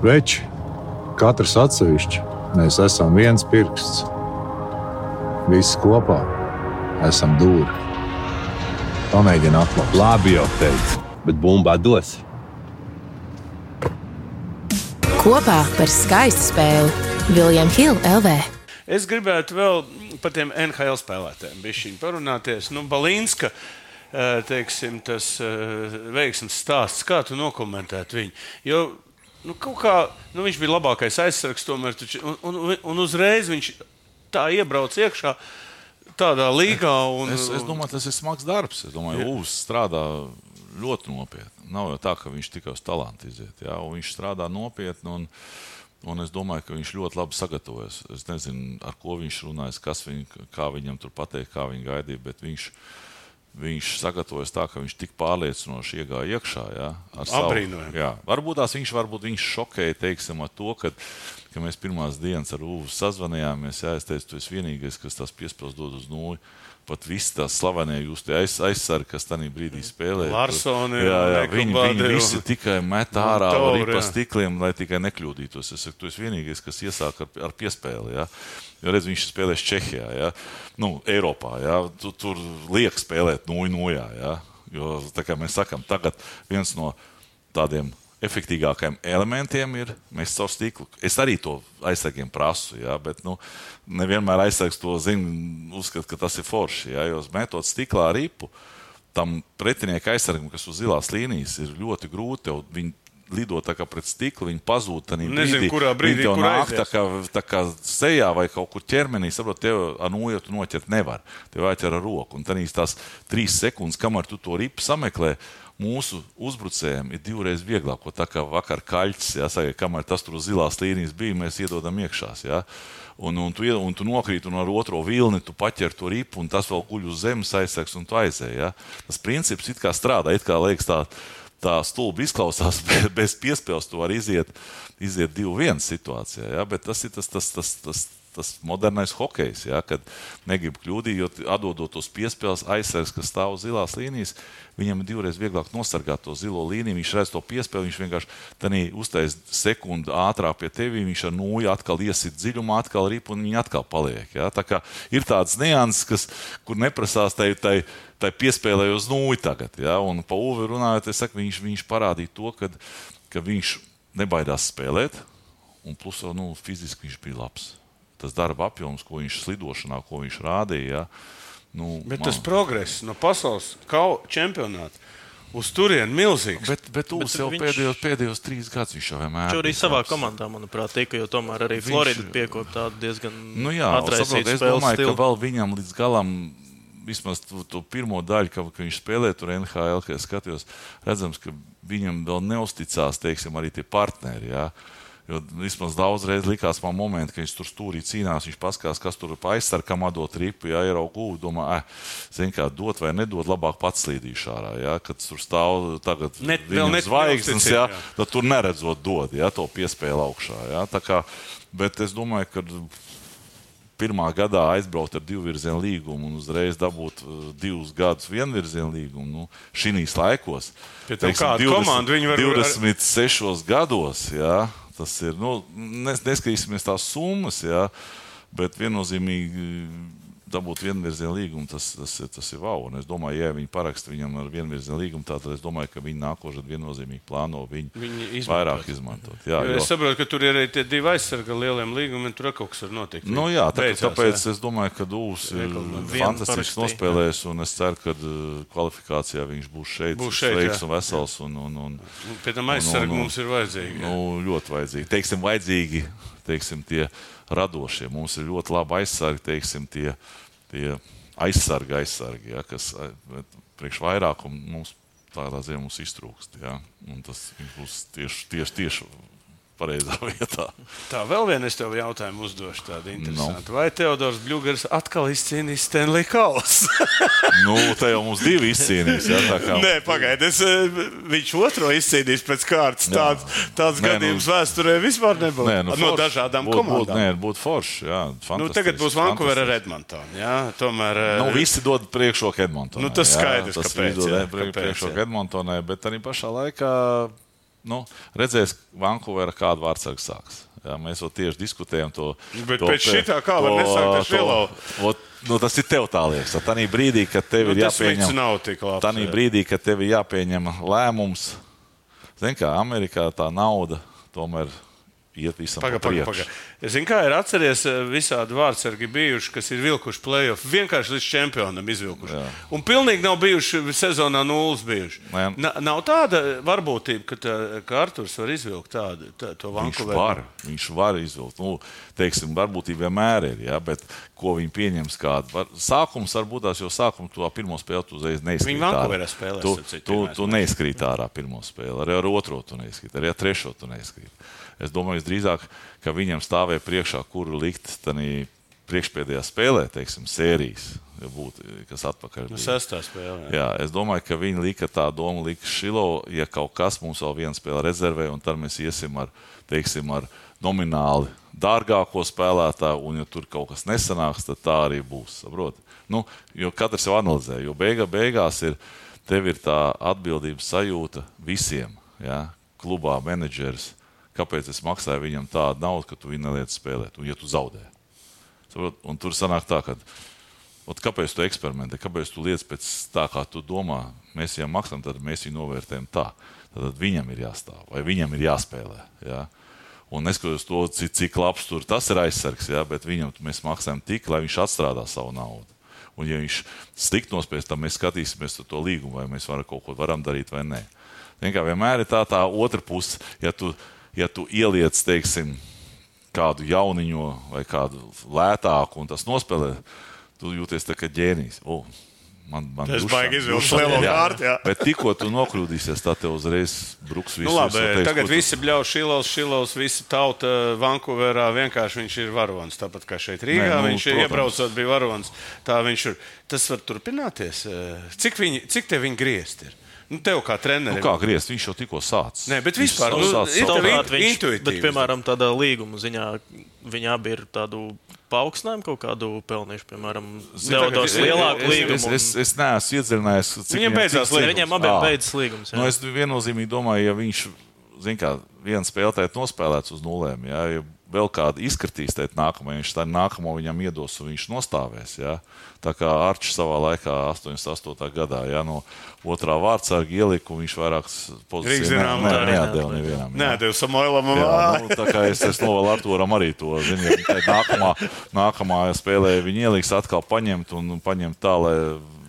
Veči, katrs atsevišķi, mēs esam viens pirksts. Visi kopā esam dūri. Pamēģini atklāt. Labi jau teicu, bet bumbā dos. Kopā par skaistu spēli William Hill LV. Es gribētu vēl par tiem NHL spēlētājiem bišķiņ parunāties. Balīnska, teiksim, tas veiksmes stāsts, kā tu nokomentētu viņu? Jo, kaut kā, viņš bija labākais aizsargs tomēr, un uzreiz viņš tā iebrauc iekšā tādā līgā. Es domāju, tas ir smags darbs. Es domāju, Ūvs strādā ļoti nopietni. Nav jau tā, ka viņš tikai uz talantu iziet. Jā? Un viņš strādā nopietni, un es domāju, ka viņš ļoti labi sagatavojas. Es nezinu, ar ko viņš runājas, kā viņam tur pateikt, kā viņi gaidīja, bet viņš sagatavojas tā, ka viņš tik pārliecinoši iegāja iekšā. Jā, Abrīnojami. Jā. Varbūt viņš šokēja, teiksim, ar to, ka mēs pirmās dienas ar Ūvu sazvanījāmies. Jā, es teicu, tu esi vienīgais, kas tās piespēles dod uz nulli. Pat visi tās slavenie jūs tie aizsargi, kas tajā brīdī spēlē. Larsoni. Viņi visi tikai met ārā pa stikliem, lai tikai nekļūdītos. Es saku, tu esi vienīgais, kas iesāk ar piespēli. Jā. Jo redz, viņš spēlēs Čehijā, jā. Eiropā. Jā. Tur liek spēlēt 0-0. Jā. Jo, tā kā mēs sakam, tagad viens no tādiem efektīgākajiem elementiem ir mēs caur stiklu. Es arī to aizsargiem prasu, jā, bet nevienmēr aizsargs to uzskata, ka tas ir forši. Jā, jo metot stiklā ripu, tam pretinieka aizsargam, kas uz zilās līnijas, ir ļoti grūti. Viņi lido tā kā pret stiklu, viņi pazūd tanī brīdī. Nezinu, kurā brīdī, kur aizies. Tā kā sejā vai kaut kur ķermenī, saprot, tev ar noju tu noķert nevar. Tev jāķer ar roku. Un tanīs tās 3 sekundes, kamēr tu to ripu sameklē, mūsu uzbrucējiem ir 2 reizes vieglāk, tā kā vakar Kaļķis, jāsaka, kamēr tas tur uz zilās līnijas bija, mēs iedodam iekšās, jā. Un tu nokrīt un ar otro vilni tu paķer to ripu, un tas vēl guļ uz zemes aizsargs, un tu aizēji, jā. Tas princips it kā strādā, it kā liekas tā stulbi izklausās, bez piespēles tu var iziet 2-1 situācijā, jā, bet tas ir tas modernais hokejs, ja, kad negrib kļūdīt, jo atdodot tos piespēles aizsargs, kas stāv uz zilās līnijas, viņam ir 2 reizes vieglāk nosargāt to zilo līniju, viņš redz to piespēli, viņš vienkārši uztais sekundi ātrāk pie tevi, viņš ar nūju atkal iesit dziļumā, atkal rip un viņi atkal paliek. Ja. Tā kā ir tāds nianses, kur neprasās tai piespēlē uz nūju tagad. Ja. Un pa Uvi runājot, es saku, viņš parādīja to, ka viņš nebaidās spēlēt, un plus fiziski viņš bija labs. Tas darba apjoms, ko viņš slidošanā, ko viņš rādīja. Ja, bet tas progress no pasaules čempionāta uz turieni milzīgs. Bet Ūvs jau pēdējos 3 gadus viņš jau vienmēr. Viņš arī savā komandā, manuprāt, tika, jo tomēr arī Florida piekop tādu diezgan atraisītu spēles stilu. Es domāju, ka vēl viņam līdz galam, vismaz to pirmo daļu, ka viņš spēlē tur NHL, kad es skatījos, redzams, ka viņam vēl neusticās, teiksim, arī tie partneri, jā. Jo vismaz daudzreiz likās man momenti, ka viņš tur stūrī cīnās, viņš paskās, kas tur pa aizsarkam atdot ripu, ja ierauga Ūvu, domā, zin kā, dot vai nedot, labāk pats slīdīšu ārā, ja, kad tur stāv tagad viņam zvaigznes, ja, tad tur neredzot dod, ja, to piespēli augšā, ja, tā kā, bet es domāju, ka pirmā gadā aizbraukt ar 2 virzienu līgumu un uzreiz dabūt 2 gadus vienvirzienu līgumu, šinīs laikos, teiksim, 26 gados, ja, tas ir, neskatīsimies tās summas, jā, bet viennozīmīgi dabūt vienvirzienu līgumu, tas ir wow. Un es domāju, ja viņi paraksta viņam ar vienvirzienu līgumu, tad es domāju, ka viņi nākošais viennozīmīgi plāno viņu vairāk izmantot. Jā, jo es saprotu, ka tur ir arī tie 2 aizsarga lieliem līgumiem, tur kaut kas var notikt. Jā, tāpēc es domāju, ka Ūvs ir fantastiski nospēlējis, un es ceru, ka kvalifikācijā viņš būs šeit sveiks un vesels. Pēc tam aizsargi mums ir vajadzīgi. Ļoti vajadzīgi. Teiksim, tie radošie. Mums ir ļoti labi aizsargi, teiksim, tie aizsargi, ja, kas priekš vairākumu mums tādā ziņā mums iztrūkst. Ja, un tas būs tieši pareizā vietā. Tā, vēl vien es tev jautājumu uzdošu tādu interesantu. Vai Teodors Bļugers atkal izcīnīs Stanley Kausu? Te jau mums 2 izcīnīs. Ja, tā kā... Nē, pagaidies, viņš otro izcīnīs pēc kārtas. Tāds gadījums vēsturē vispār nebūtu. No dažādām komandām. Būtu forši, jā, fantastiski. Tagad būs Vancouver ar Edmontonu, jā, tomēr... Visi dod priekšroku Edmontonai. Tas skaidrs, kāpēc. Priekšroku Edmontonai, bet arī pašā laikā redzēs Vancouverā kādu vārdsargu sāks. Jā, mēs vēl tieši diskutējam to. Bet pēc šitā kā var nesākt ar Švilau? Tas ir tev tā liekas. Tanī brīdī, kad tev ir jāpieņem lēmums, zin kā, Amerikā tā nauda tomēr iet visam pa priekšu. Es zinu, kā ir atceries visādi vārdsargi bijuši, kas ir vilkuši play-off, vienkārši līdz čempionam izvilkuši. Jā. Un pilnīgi nav bijuši sezonā 0 bijuši. Nav tāda varbūtība, ka Arturs var izvilkt to Vancouveru. Viņš var izvilkt. Teiksim, varbūtība vienmēr ir, bet ko viņi pieņems kādu. Sākums varbūt tās, jo sākumu to pirmo spēli tu uzreiz neizkrīt. Viņi Vancouverā spēlēs. Tu neizkrīt ārā pirmo spēli, arī ar otro tu neizkrīt, arī ar trešo tu neizkrīt. Es domāju, drīzāk, ka viņam stāvēja priekšā, kuru likt tanī priekšpēdējā spēlē, teiksim, sērijas, ja būtu, kas atpakaļ. Sestā spēlē. Jā, es domāju, ka viņi lika tā doma, lika Šilo, ja kaut kas mums vēl viena spēle rezervē, un tad mēs iesim ar, teiksim, ar nomināli dārgāko spēlētāju, un ja tur kaut kas nesanāks, tad tā arī būs, saprot? Jo katrs jau analizē, jo beigās tev ir tā atbildības sajūta visiem, ja? Klubā, menedžeris. Kāpēc es maksāju viņam tādu naudu, ka tu viņu neliec spēlēt, un ja tu zaudē. Un tur sanāk tā, ka kāpēc tu eksperimentē, kāpēc tu liec pēc tā, kā tu domā, mēs viņam maksājam, tad mēs viņu novērtējam tā. Tad viņam ir jāstāv, vai viņam ir jāspēlē. Ja? Un neskatoties to, cik labs tur tas ir aizsargs, ja? Bet viņam mēs maksājam tik, lai viņš atstrādā savu naudu. Un ja viņš slikt nospēs, tad mēs skatīsimies to līgumu, vai mēs kaut ko varam darīt vai nē. Vienmēr ir tā otra puse, ja tu ieliec, teiksim, kādu jauniņo vai kādu lētāku un tas nospēlē, tu jūties tā kā ģēnijs. Tas baigi izvilkt lielo kārtu, jā. Bet tikko tu nokļūdīsies, tā tev uzreiz bruks visu. Labi, tagad visi bļauj Šilovs, visi tauta Vancouverā, vienkārši viņš ir varonis. Tāpat kā šeit Rīgā, viņš iebraucot bija varonis. Tā viņš ir. Tas var turpināties. Cik te viņi griezt ir? Tev kā trenerim. Kā griezt? Viņš jau tikko sācis. Nē, bet vispār intuitīvi. Bet, piemēram, tādā līguma ziņā viņi abi ir tādu paaugstinājumu kaut kādu pelnījuši, piemēram, Teodors lielāku līgumu. Es neesmu iedziļinājies, cik viņam beidzās līgums. Viņam abiem beidzas līgums. Es viennozīmīgi domāju, ja viņš, viena spēlētāja nospēlēts uz nulēm, ja vēl kādu izkritīs tēt nākamajā, viņš tā nākamo viņam iedos un viņš nostāvēs. Ja? Tā kā Arčs savā laikā 88. gadā, ja, no otrā vārdsarga ieliku, viņš vairākas pozīcijas neatdeva nevienam. Neatdeva Samoilam. Tā kā es novēlu Arturam arī to. Nākamā spēlē viņi ieliks atkal paņemt un paņemt tā, lai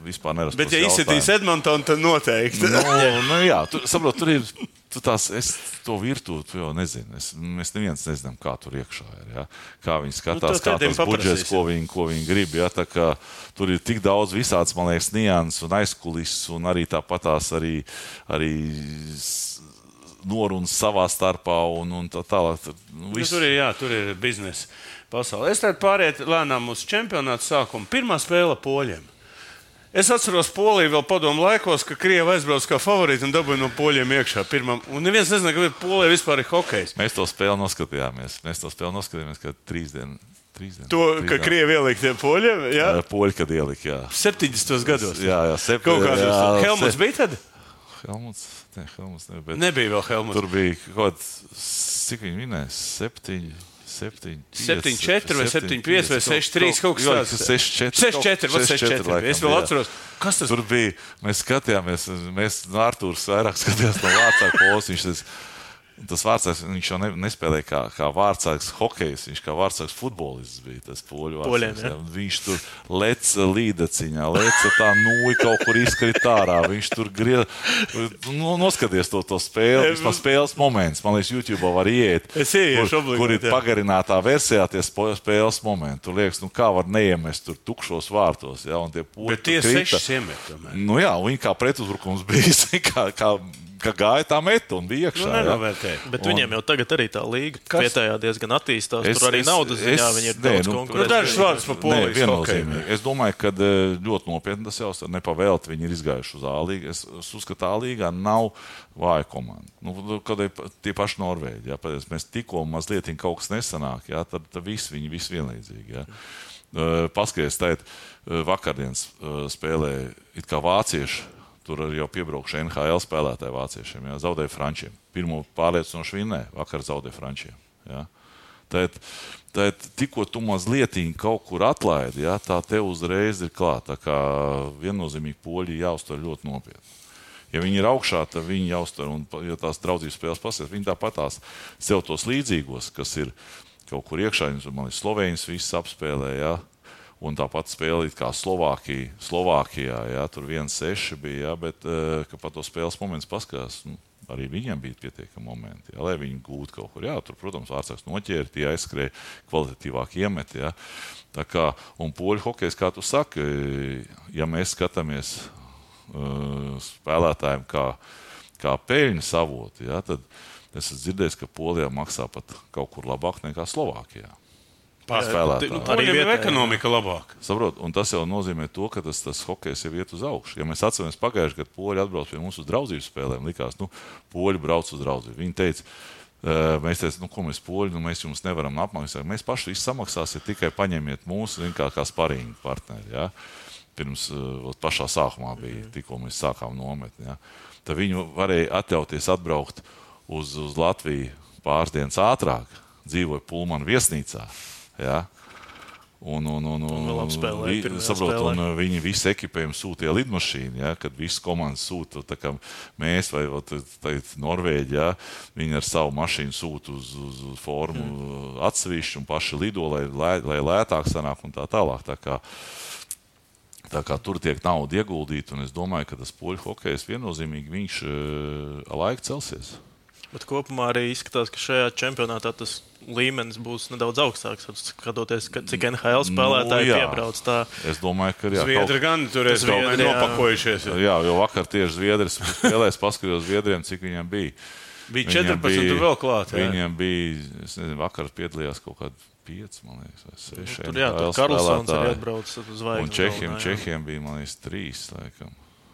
vispār nerastos jautājumi. Bet ja izsitīs Edmontonu, tad noteikti. Jā, tur ir... Es to virtūti jau nezinu. Mēs neviens nezinām, kā tur iekšā ir. Ja? Kā viņi skatās, kā tas budžets, ko viņi grib. Ja? Tā kā tur ir tik daudz visāds, man liekas, nianses un aizkulises, un arī tāpatās arī norunas savā starpā un tā tālāk. Tur ir biznesa pasaule. Es tad pāriet lēnām uz čempionātu sākumu. Pirmā spēle Poļiem. Es atceros Poliju vēl padomu laikos, ka Krievi aizbrauc kā favorīti un dabūja no Poļiem iekšā pirmam. Un neviens nezina, ka Polija vispār ir hokejs. Mēs to spēli noskatījāmies, ka 3 dienas. Ka Krievi ielika tie Poļiem, jā? Poļi, kad ielika, jā. 70. gados. Jā, kaut kādā. Helmuts bija tad? Helmuts nebija. Bet nebija vēl Helmuts. Tur bija kaut cik viņi vinēja? 7-4 vai 7-5 vai 6-3 kaut kas tāds. 6-4. Es vēl atceros. Kas tas? Tur bija, mēs skatījāmies, Artūrs vairāk skatījās no vārdsarga polas. Tas vārdsargs, viņš jau nespēlēja kā vārdsargs hokejs, viņš kā vārdsargs futbolists bija tas poļu vārdsargs. Ja? Viņš tur leca līdaciņā, tā nūja kaut kur izkrita ārā. Viņš tur noskaties to spēli, vismaz spēles moments. Man liekas, YouTube var ieiet, kur ir pagarinātā versijā tie spēles momenti. Tur liekas, kā var neiemest tur tukšos vārtos. Ja? Un tie poļi bet tie 6 iemet tomēr. Jā, viņi kā pretuzbrukums bija, ka gāja tā meta un bija iekšā. Bet viņiem jau tagad arī tā līga vietējā diezgan attīstās. Tur arī naudas ziņā viņi ir daudz konkurēti. Dažas vārdas par Polijas hokeju. Es domāju, ka ļoti nopietni tas jau nepavēlti. Viņi ir izgājuši uz A-līgu. Es uzskatu, ka A-līgā nav vāja komanda. Kad ir tie paši Norvēģi. Ja, mēs tikko mazliet kaut kas nesanāk, ja, tad viņi visi vienlīdzīgi. Ja. Paskaties, tēt, vakardienas spēlē it kā vācieši. Tur arī jau piebraukšu NHL spēlētāji vāciešiem. Ja, zaudēja Frančiem. Pirmo pārliecinoši vinnēja, vakar zaudēja Frančiem. Ja. Tad tikko tu mazliet kaut kur atlaidi, ja, tā tev uzreiz ir klāt. Tā kā viennozīmīgi poļi jāuztver ļoti nopietni. Ja viņi ir augšā, tad viņi jāuztver, un ja tās draudzības spēles pasies, viņi tāpatās sev tos līdzīgos, kas ir kaut kur iekšā, man ir Slovēņas viss apspēlē, ja? Un tāpat spēlīt kā Slovākijā, ja? Tur 1-6 bija, ja? Bet, ka par to spēles moments paskatās, arī viņiem bija pietiekami momenti, ja? Lai viņi gūtu kaut kur, jā, tur, protams, vārdsāks noķēri, tie aizskrēja kvalitatīvāk iemeti, ja? Tā kā, un poļu hokejs, kā tu saki, ja mēs skatāmies spēlētājiem kā peļņas avoti, ja, tad es esmu dzirdējis, ka Polijā maksā pat kaut kur labāk nekā Slovākijā. Spēlētāji. Poļiem ir ekonomika labāk. Saprot, un tas jau nozīmē to, ka tas hokejs jau iet uz augšu. Ja mēs atceramies pagājuši, kad Poļi atbrauc pie mums uz draudzības spēlēm, likās, Poļi brauc uz draudzību. Viņi teica, mēs teicām, ko mēs Poļi, mēs jums nevaram apmaksāt. Mēs paši visu samaksāsiet, tikai paņemiet mūsu kā sparīgi partneri. Ja? Pirms pašā sākumā bija, tikko mēs sākām nometni. Ja? Tad viņi varēja atļauties atbraukt uz Latviju pāris dienas ātrāk, dzīvoja Pulmanu viesnīcā. Ja? Un viņi visu ekipējumu sūtīja lidmašīnu, ja? Kad visas komandas sūta, tā kā mēs vai Norvēģi, ja? Viņi ar savu mašīnu sūta uz formu atsevišķi un paši lido, lai lētāk sanāk un tā tālāk. Tā kā tur tiek nauda ieguldīta, un es domāju, ka tas poļu hokejs viennozīmīgi viņš laika celsies. Bet kopumā arī izskatās, ka šajā čempionātā tas līmenis būs nedaudz augstāks, skatoties, cik NHL spēlētāji piebrauc tā. Es domāju, ka jā. Zviedri gan tur ir nopakojušies. Jā, jo vakar tieši Zviedris spēlēs, paskatījos Zviedriem, cik viņiem bija. Bija 14 vēl klāt. Viņiem bija, es nezinu, vakar piedalījās kaut kādu 5, man liekas, vai 6. Tur jā, tur Karlsons arī atbrauc uz zvaigzni. Un Čehiem bija, man liekas, 3, laikam.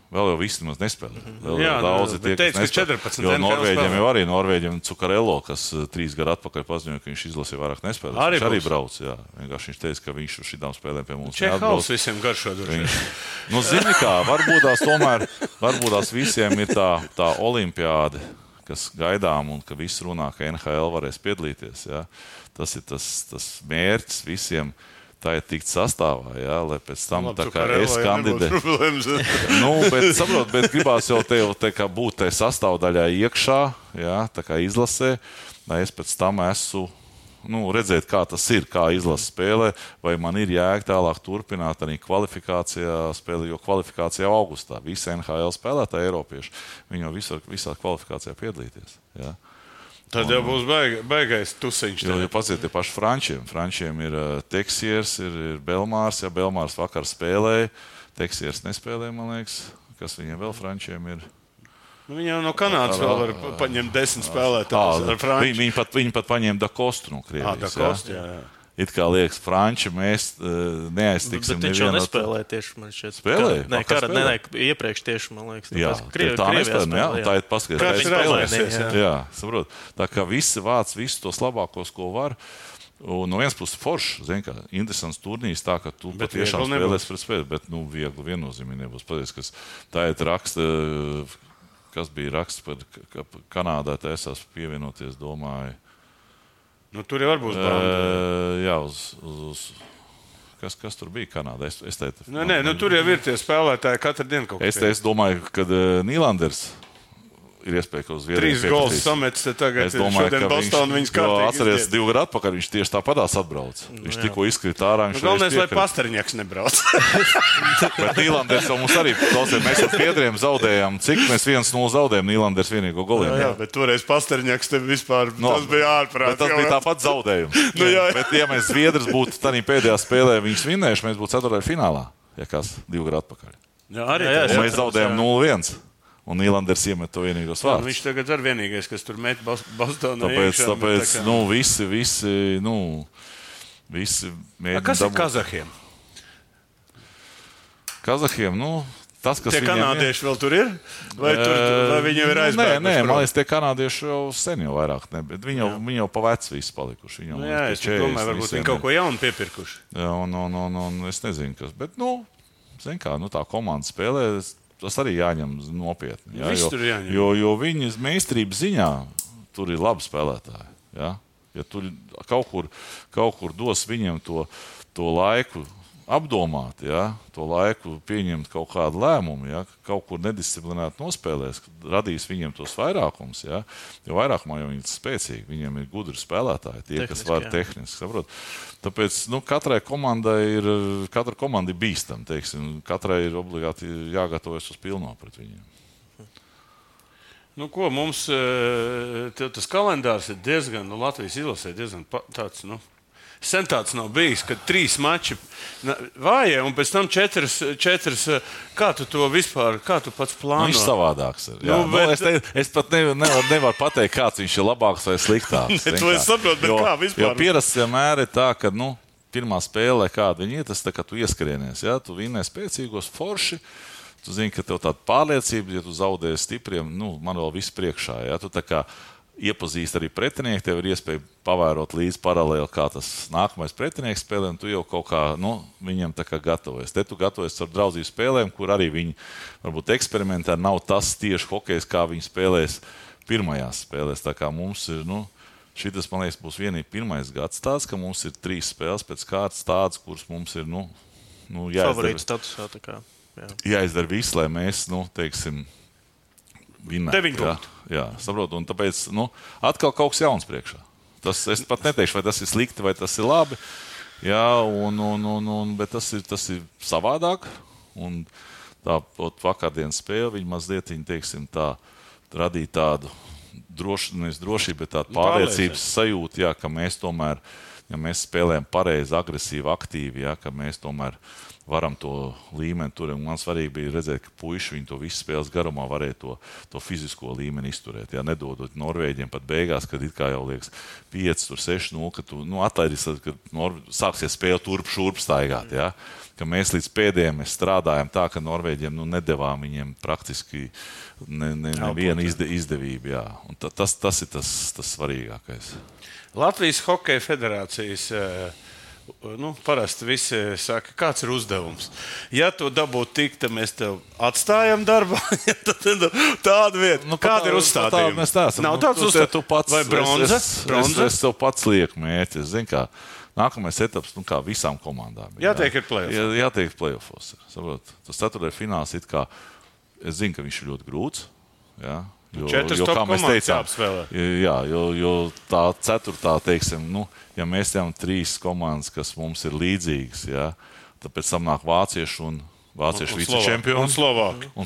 Vēl jau visi nemaz nespēlē. Jā, daudzi tie, teica, ka 14 jo Norvēģiem Cukar Elo, kas 3 gadu atpakaļ paziņoja, ka viņš izlasīja vairāk nespēlē. Viņš arī brauc, jā. Vienkārši viņš teica, ka viņš uz šitām spēlēm pie mums Čehals visiem garšo droši. Zini kā, varbūt tās visiem ir tā olimpiāde, kas gaidām un ka visi runā, ka NHL varēs piedalīties, jā. Tas ir tas mērķis visiem. Tā ir tikt sastāvā, jā, lai pēc tam tā kā es kandidēju. Bet gribās jau te kā būt tai sastāvdaļā iekšā, jā, tā kā izlasē, lai es pēc tam esmu redzēt, kā tas ir, kā izlase spēlē, vai man ir jēga tālāk turpināt arī kvalifikācijā spēlē, jo kvalifikācijā augustā visi NHL spēlētāji eiropieši, viņi jau visā kvalifikācijā piedalīties, jā. Tad jau būs baigais tusiņš. Jo paciet tie paši Frančiem. Frančiem ir Teksiers, ir Belmārs. Ja Belmārs vakar spēlēja, Teksiers nespēlēja, man liekas. Kas viņiem vēl Frančiem ir? Viņam no Kanādas vēl var paņemt 10 spēlētājus ar Franču. Viņi pat paņēma Dakostu no Krievijas. Dakostu, jā. It kā liekas, Franči, mēs neaiztiksim nevienu. Bet viņš jau nespēlēja tieši, man šķiet. Spēlēja? Nē, iepriekš tieši, man liekas. Jā, tā nespēlēja, jā, tā ir paskatīties. Jā, saprot. Tā kā visi vāc visus tos labākos, ko var. Un no vienas puses foršs, zin kā, interesants turnīrs, tā, ka tu patiešām spēlēs pret spēli, bet, viegli viennozīmīgi nebūs. Paties, kas tā ir raksta, kas bija raksts par Kanādā, taisās pievienoties, domāju. Tur jau var būs banda. Jā, kas tur bija Kanādā? Tur jau ir tie spēlētāji katru dienu kaut kas. Es domāju, ka Nīlanders ir iespēja, ka uz Zviedriju 3 gols samets tagad. Es domāju, šodien Boston viņas kārtīgi atceries 2 gadu atpakaļ, viņš tieši tāpatās atbrauc. Viņš tikko izkrita ārā. Galvenais, lai Pasterņaks nebrauc. Bet Nīlanders jau mums arī, mēs ar Zviedriem zaudējām. Cik mēs 1-0 zaudējām Nīlanders vienīgo goliem? Jā, bet toreiz Pasterņaks te vispār, tas bija ārprāt. Tas bija tāpat zaudējums. Bet ja mēs Zviedrs būtu tādā pēdējā spēlē viņus vinnējuši, mēs būtu 4. finālā, ja kas 2 gadu atpakaļ. Un mēs zaudējām 0-1. Un Nīlanders iemet to vienīgos vārdus. Viņš tagad ir vienīgais, kas tur met Bostonā. Tāpēc visi mēģina. Kas ir Kazahiem? Kazahiem, tas, kas tie kanādieši vēl tur ir? Vai viņi jau ir aizbēguši? Nē, man liekas, tie kanādieši jau sen jau vairāk ne, bet viņi jau pa veci visi palikuši. Es domāju, varbūt viņi kaut ko jaunu piepirkuši. Un es nezinu, kas, bet, zin kā, tā komanda spēlē, tas arī jāņem nopietni. Jo viņas meistarības ziņā tur ir labi spēlētāji. Ja tur kaut kur dos viņiem to laiku apdomāt, ja, to laiku pieņemt kaut kādu lēmumu, ja, kaut kur nedisciplinēti nospēlēs, radīs viņiem tos vairākums, ja, jo vairākumā jau viņi ir spēcīgi, viņiem ir gudri spēlētāji, tie, tehniski, kas var tehniski, saprot. Tāpēc, katra komanda ir bīstama, teiksim, katrai ir obligāti jāgatavojas uz pilno pret viņiem. Ko mums tas kalendārs ir diezgan, Latvijas izlasē diezgan tāds, sen tāds nav bijis, kad 3 mači vājie un pēc tam 4. Kā tu to vispār, kā tu pats plāno? Viņš savādāks ir. Jā. Es pat nevaru pateikt, kāds viņš ir labāks vai sliktāks. To es saprotu, bet kā vispār? Jo pierasts vienmēr ir tā, ka, pirmā spēlē, kāda viņi ir, tas tā, ka tu ieskrienies, ja? Tu vinnē spēcīgos forši, tu zini, ka tev tāda pārliecība, ja tu zaudēji stipriem, man vēl viss priekšā, ja? Tu tā kā iepazīst arī pretinieku, tev ir iespēja pavērot līdzi paralēli, kā tas nākamais pretinieks spēlē, un tu jau kaut kā, viņam tā kā gatavojies. Te tu gatavojies ar draudzību spēlēm, kur arī viņi varbūt eksperimentē, nav tas tieši hokejs, kā viņi spēlēs pirmajās spēlēs. Tā kā mums ir, šitas, man liekas, būs vienīgi pirmais gads tāds, ka mums ir 3 spēles pēc kārtas tādas, kuras mums ir, favorīta statusā, tā kā, jāizdara viss, lai mēs, teiksim, vinnēt. 9 punktu. Jā, saprotu, un tāpēc, atkal kaut kas jauns priekšā. Es pat neteikšu, vai tas ir slikti, vai tas ir labi, jā, bet tas ir savādāk, un tā vakardienas spēle, viņi mazliet, teiksim, tā radīja tādu drošību, bet tādu pārliecības sajūtu, jā, ka mēs tomēr, ja mēs spēlējam pareizi, agresīvi, aktīvi, jā, ka mēs tomēr varam to līmeni turēt. Man svarīgi bija redzēt, ka puiši viņi to visu spēles garumā varēja to fizisko līmeni izturēt. Jā, nedodot Norvēģiem pat beigās, kad it kā jau liekas 5-6-0, ka tu atlaidīs, kad sāksies spēle turp-šurp staigāt. Jā. Ka mēs līdz pēdējiem strādājam tā, ka Norvēģiem nedevām viņiem praktiski nevienu izdevību. Jā. Un tas ir tas svarīgākais. Latvijas Hokeja federācijas parasti visi saka, kāds ir uzdevums. Ja to dabūtu tik, tad mēs tev atstājam darbā. Tāda vieta. Kāda ir uzstādījuma? Nav tāds uzdevums. Vai bronza? Es tev pats lieku mērķi. Es zinu, kā nākamais etaps, kā visām komandām. Jātiek ir play-offs. Jātiek play-offs. Tas 4. fināls it kā, es zinu, ka viņš ir ļoti grūts. Jā. Jo, kā mēs teicām, jo tā 4. teiksim, ja mēs tevam 3 komandas, kas mums ir līdzīgas, jā, tad pēc tam nāk vācieši un vicečempioni. Un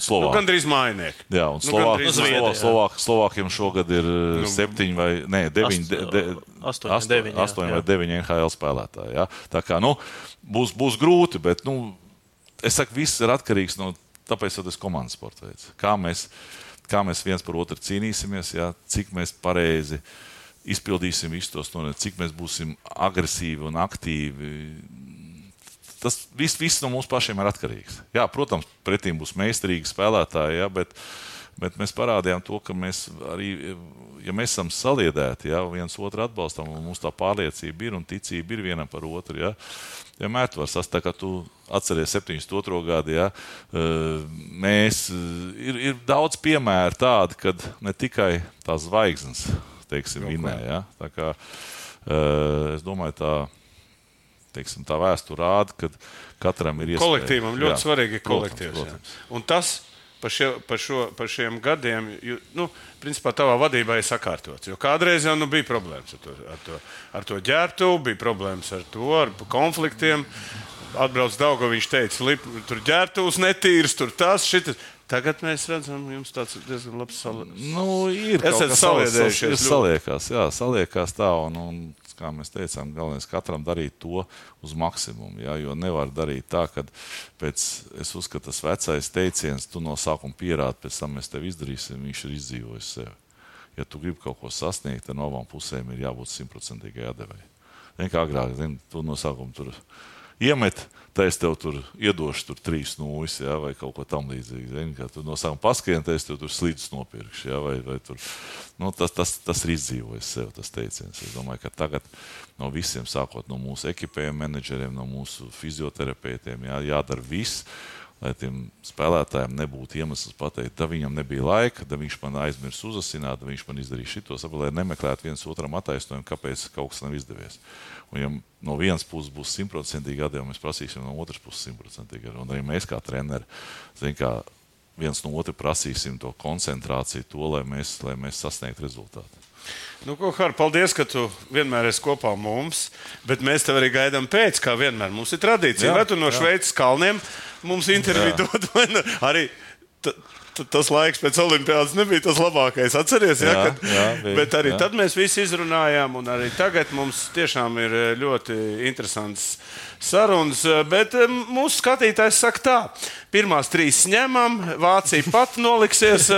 Slovāki. Gandrīz mājnieki. Jā, un Slovākiem šogad ir 7 vai 8 vai 9 NHL spēlētāji. Jā. Tā kā, būs grūti, bet, es saku, viss ir atkarīgs no, tāpēc tas komandas sporta veids. Kā mēs viens par otru cīnīsimies, jā, cik mēs pareizi izpildīsim visus tos, cik mēs būsim agresīvi un aktīvi. Tas viss no mums pašiem ir atkarīgs. Jā, protams, pretīm būs meistarīgi spēlētāji, jā, bet mēs parādījām to, ka mēs arī, ja mēs esam saliedēti, jā, viens otru atbalstam, un mums tā pārliecība ir un ticība ir vienam par otru, jā. Vienmēr tu vari sastāvēt, kā tu atceries 72. gadu, jā, ir daudz piemēru tādi, kad ne tikai tās zvaigznes, teiksim, vinnē, jā. Tā kā, es domāju, tā vēsture rāda, ka katram ir iespēja. Kolektīvam ļoti svarīgi ir kolektīvs. Protams. Un tas par šiem gadiem, principā tavā vadībā ir sakārtots. Jo kādreiz jau bija problēmas ar to ģērbtuvi, bija problēmas ar konfliktiem. Atbrauc Daugaviņš, viņš teica, tur ģērbtuvs netīrs, tur tas, šitas. Tagad mēs redzam, jums tāds diezgan labs ir kaut kas saliedējušies. Saliekās tā, un kā mēs teicām, galvenais katram darīt to uz maksimumu, jā, jo nevar darīt tā, ka es uzskatu, tas vecais teiciens, tu no sākuma pierādi, pēc tam mēs tev izdarīsim, viņš ir izdzīvojis sevi. Ja tu gribi kaut ko sasniegt, tad no abām pusēm ir jābūt 100% atdevēji. Kā agrāk, tu no sākuma tur iemet, tā es tev tur iedošu 3 nūjas, jā, vai kaut ko tam līdzīgi. Kā tu no sākuma paskrien, tā es tev tur slidus nopirkšu, jā, vai tur. Tas ir izdzīvojis sev, tas teiciens. Es domāju, ka tagad no visiem, sākot no mūsu ekipējiem, menedžeriem, no mūsu fizioterapeitiem, jādara viss, lai tiem spēlētājiem nebūtu iemesls pateikt, da viņam nebija laika, da viņš man aizmirs uzasināt, da viņš man izdarīja šito, lai nemeklētu viens otram attaisnojumu, kāpēc kaut kas nav izdevies. Un ja no vienas puses būs 100% gadījumi, mēs prasīsim no otras puses 100% gadījumi. Un arī mēs kā treneri, viens no otru prasīsim to koncentrāciju, to, lai mēs sasniegtu rezultātu. Nu, ko, Har, paldies, ka tu vienmēr esi kopā mums, bet mēs tev arī gaidām pēc, kā vienmēr. Mums ir tradīcija. Vai tu no Šveices kalniem mums interviju dod? Arī tas laiks pēc Olimpiādas nebija tas labākais. Atceries, bet arī tad mēs visi izrunājām, un arī tagad mums tiešām ir ļoti interesants sarunas. Bet mūsu skatītājs saka tā, pirmās 3 ņemam, Vācija pat noliksies,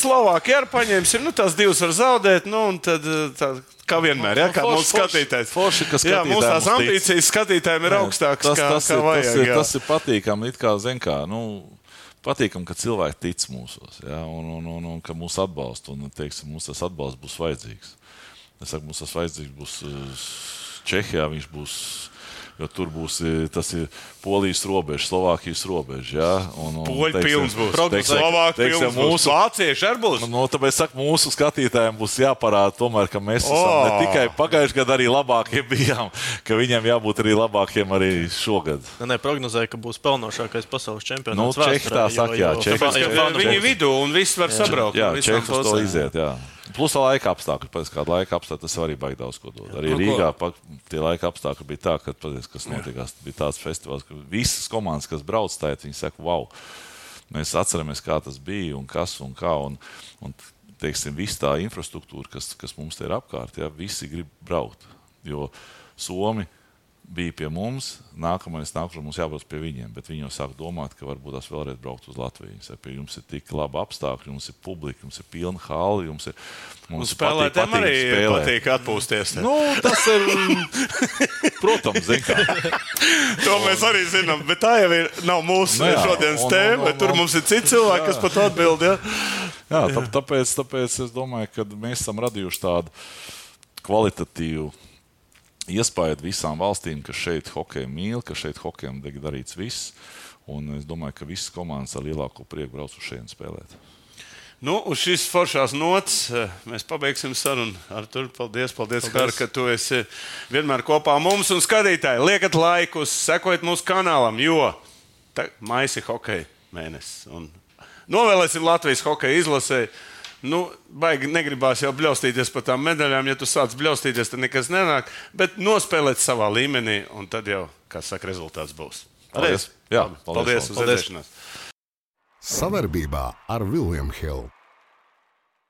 Slovākija arī paņemsim, tās 2 var zaudēt, un tad kā vienmēr, kā mūsu skatītājs. Mūsu tās ambīcijas skatītājiem ir augstākas, kā vajag. Tas ir patīkami, patīkam, ka cilvēki tic mūsos, un ka mūs atbalsta, un, teiksim, mums tas atbalsts būs vajadzīgs. Es saku, mums tas vajadzīgs būs Čehijā, viņš būs, jo tur būs, tas ir Polijas robeža, Slovākijas robeža, Poļi pilns būs, Slovāki pilns būs, Vācieši arī būs. Tāpēc, saku, mūsu skatītājiem būs jāparāda tomēr, ka mēs esam ne tikai pagājuši gadu arī labākie bijām, ka viņiem jābūt arī labākiem arī šogad. Prognozēja, ka būs pelnošākais pasaules čempionāts Čehi tā saka, Viņi vidū un viss var sabraukt. Jā, Čehus to iziet, Plus laika apstākļi, kāda laika apstākļi, tas arī baigi daudz ko dod. Arī Rīgā tie laika apstākļi bija tā, ka, kas notikās, bija tāds festivāls, ka visas komandas, kas brauc tēt, viņi saka, wow, mēs atceramies, kā tas bija un kas un kā, un teiksim, viss tā infrastruktūra, kas mums te ir apkārt, visi grib braukt, jo Somi bija pie mums, nākamais mums jābrauc pie viņiem, bet viņi jau sāk domāt, ka varbūt tās vēlreiz braukt uz Latviju. Viņi saka, jums ir tik laba apstākļi, jums ir publika, jums ir pilna hali, mums spēlētājiem arī patīk atpūsties. Tas ir, protams, zin kā. To mēs arī zinām, bet tā jau nav mūsu šodienas tēma, bet tur mums ir citi cilvēki, kas par to atbild, Tāpēc es domāju, ka mēs esam radījuši tādu kvalitatīvu iespēju visām valstīm, ka šeit hokeju mīl, ka šeit hokejam tiek darīts viss. Un es domāju, ka visas komandas ar lielāko prieku brauc uz šeit spēlēt. Uz šīs foršās nots mēs pabeigsim sarunu. Artur, paldies, Har, ka tu esi vienmēr kopā mums un skatītāji. Liekat laikus, sekojiet mūsu kanālam, jo maija ir hokeja mēnesis. Un novēlēsim Latvijas hokeja izlasē. Baigi negribās jau bļaustīties par tām medaļām. Ja tu sāc bļaustīties, tad nekas nenāk. Bet nospēlēt savā līmenī, un tad jau, kā saka, rezultāts būs. Paldies! Paldies uz redzēšanos! Savarbībā ar William Hill.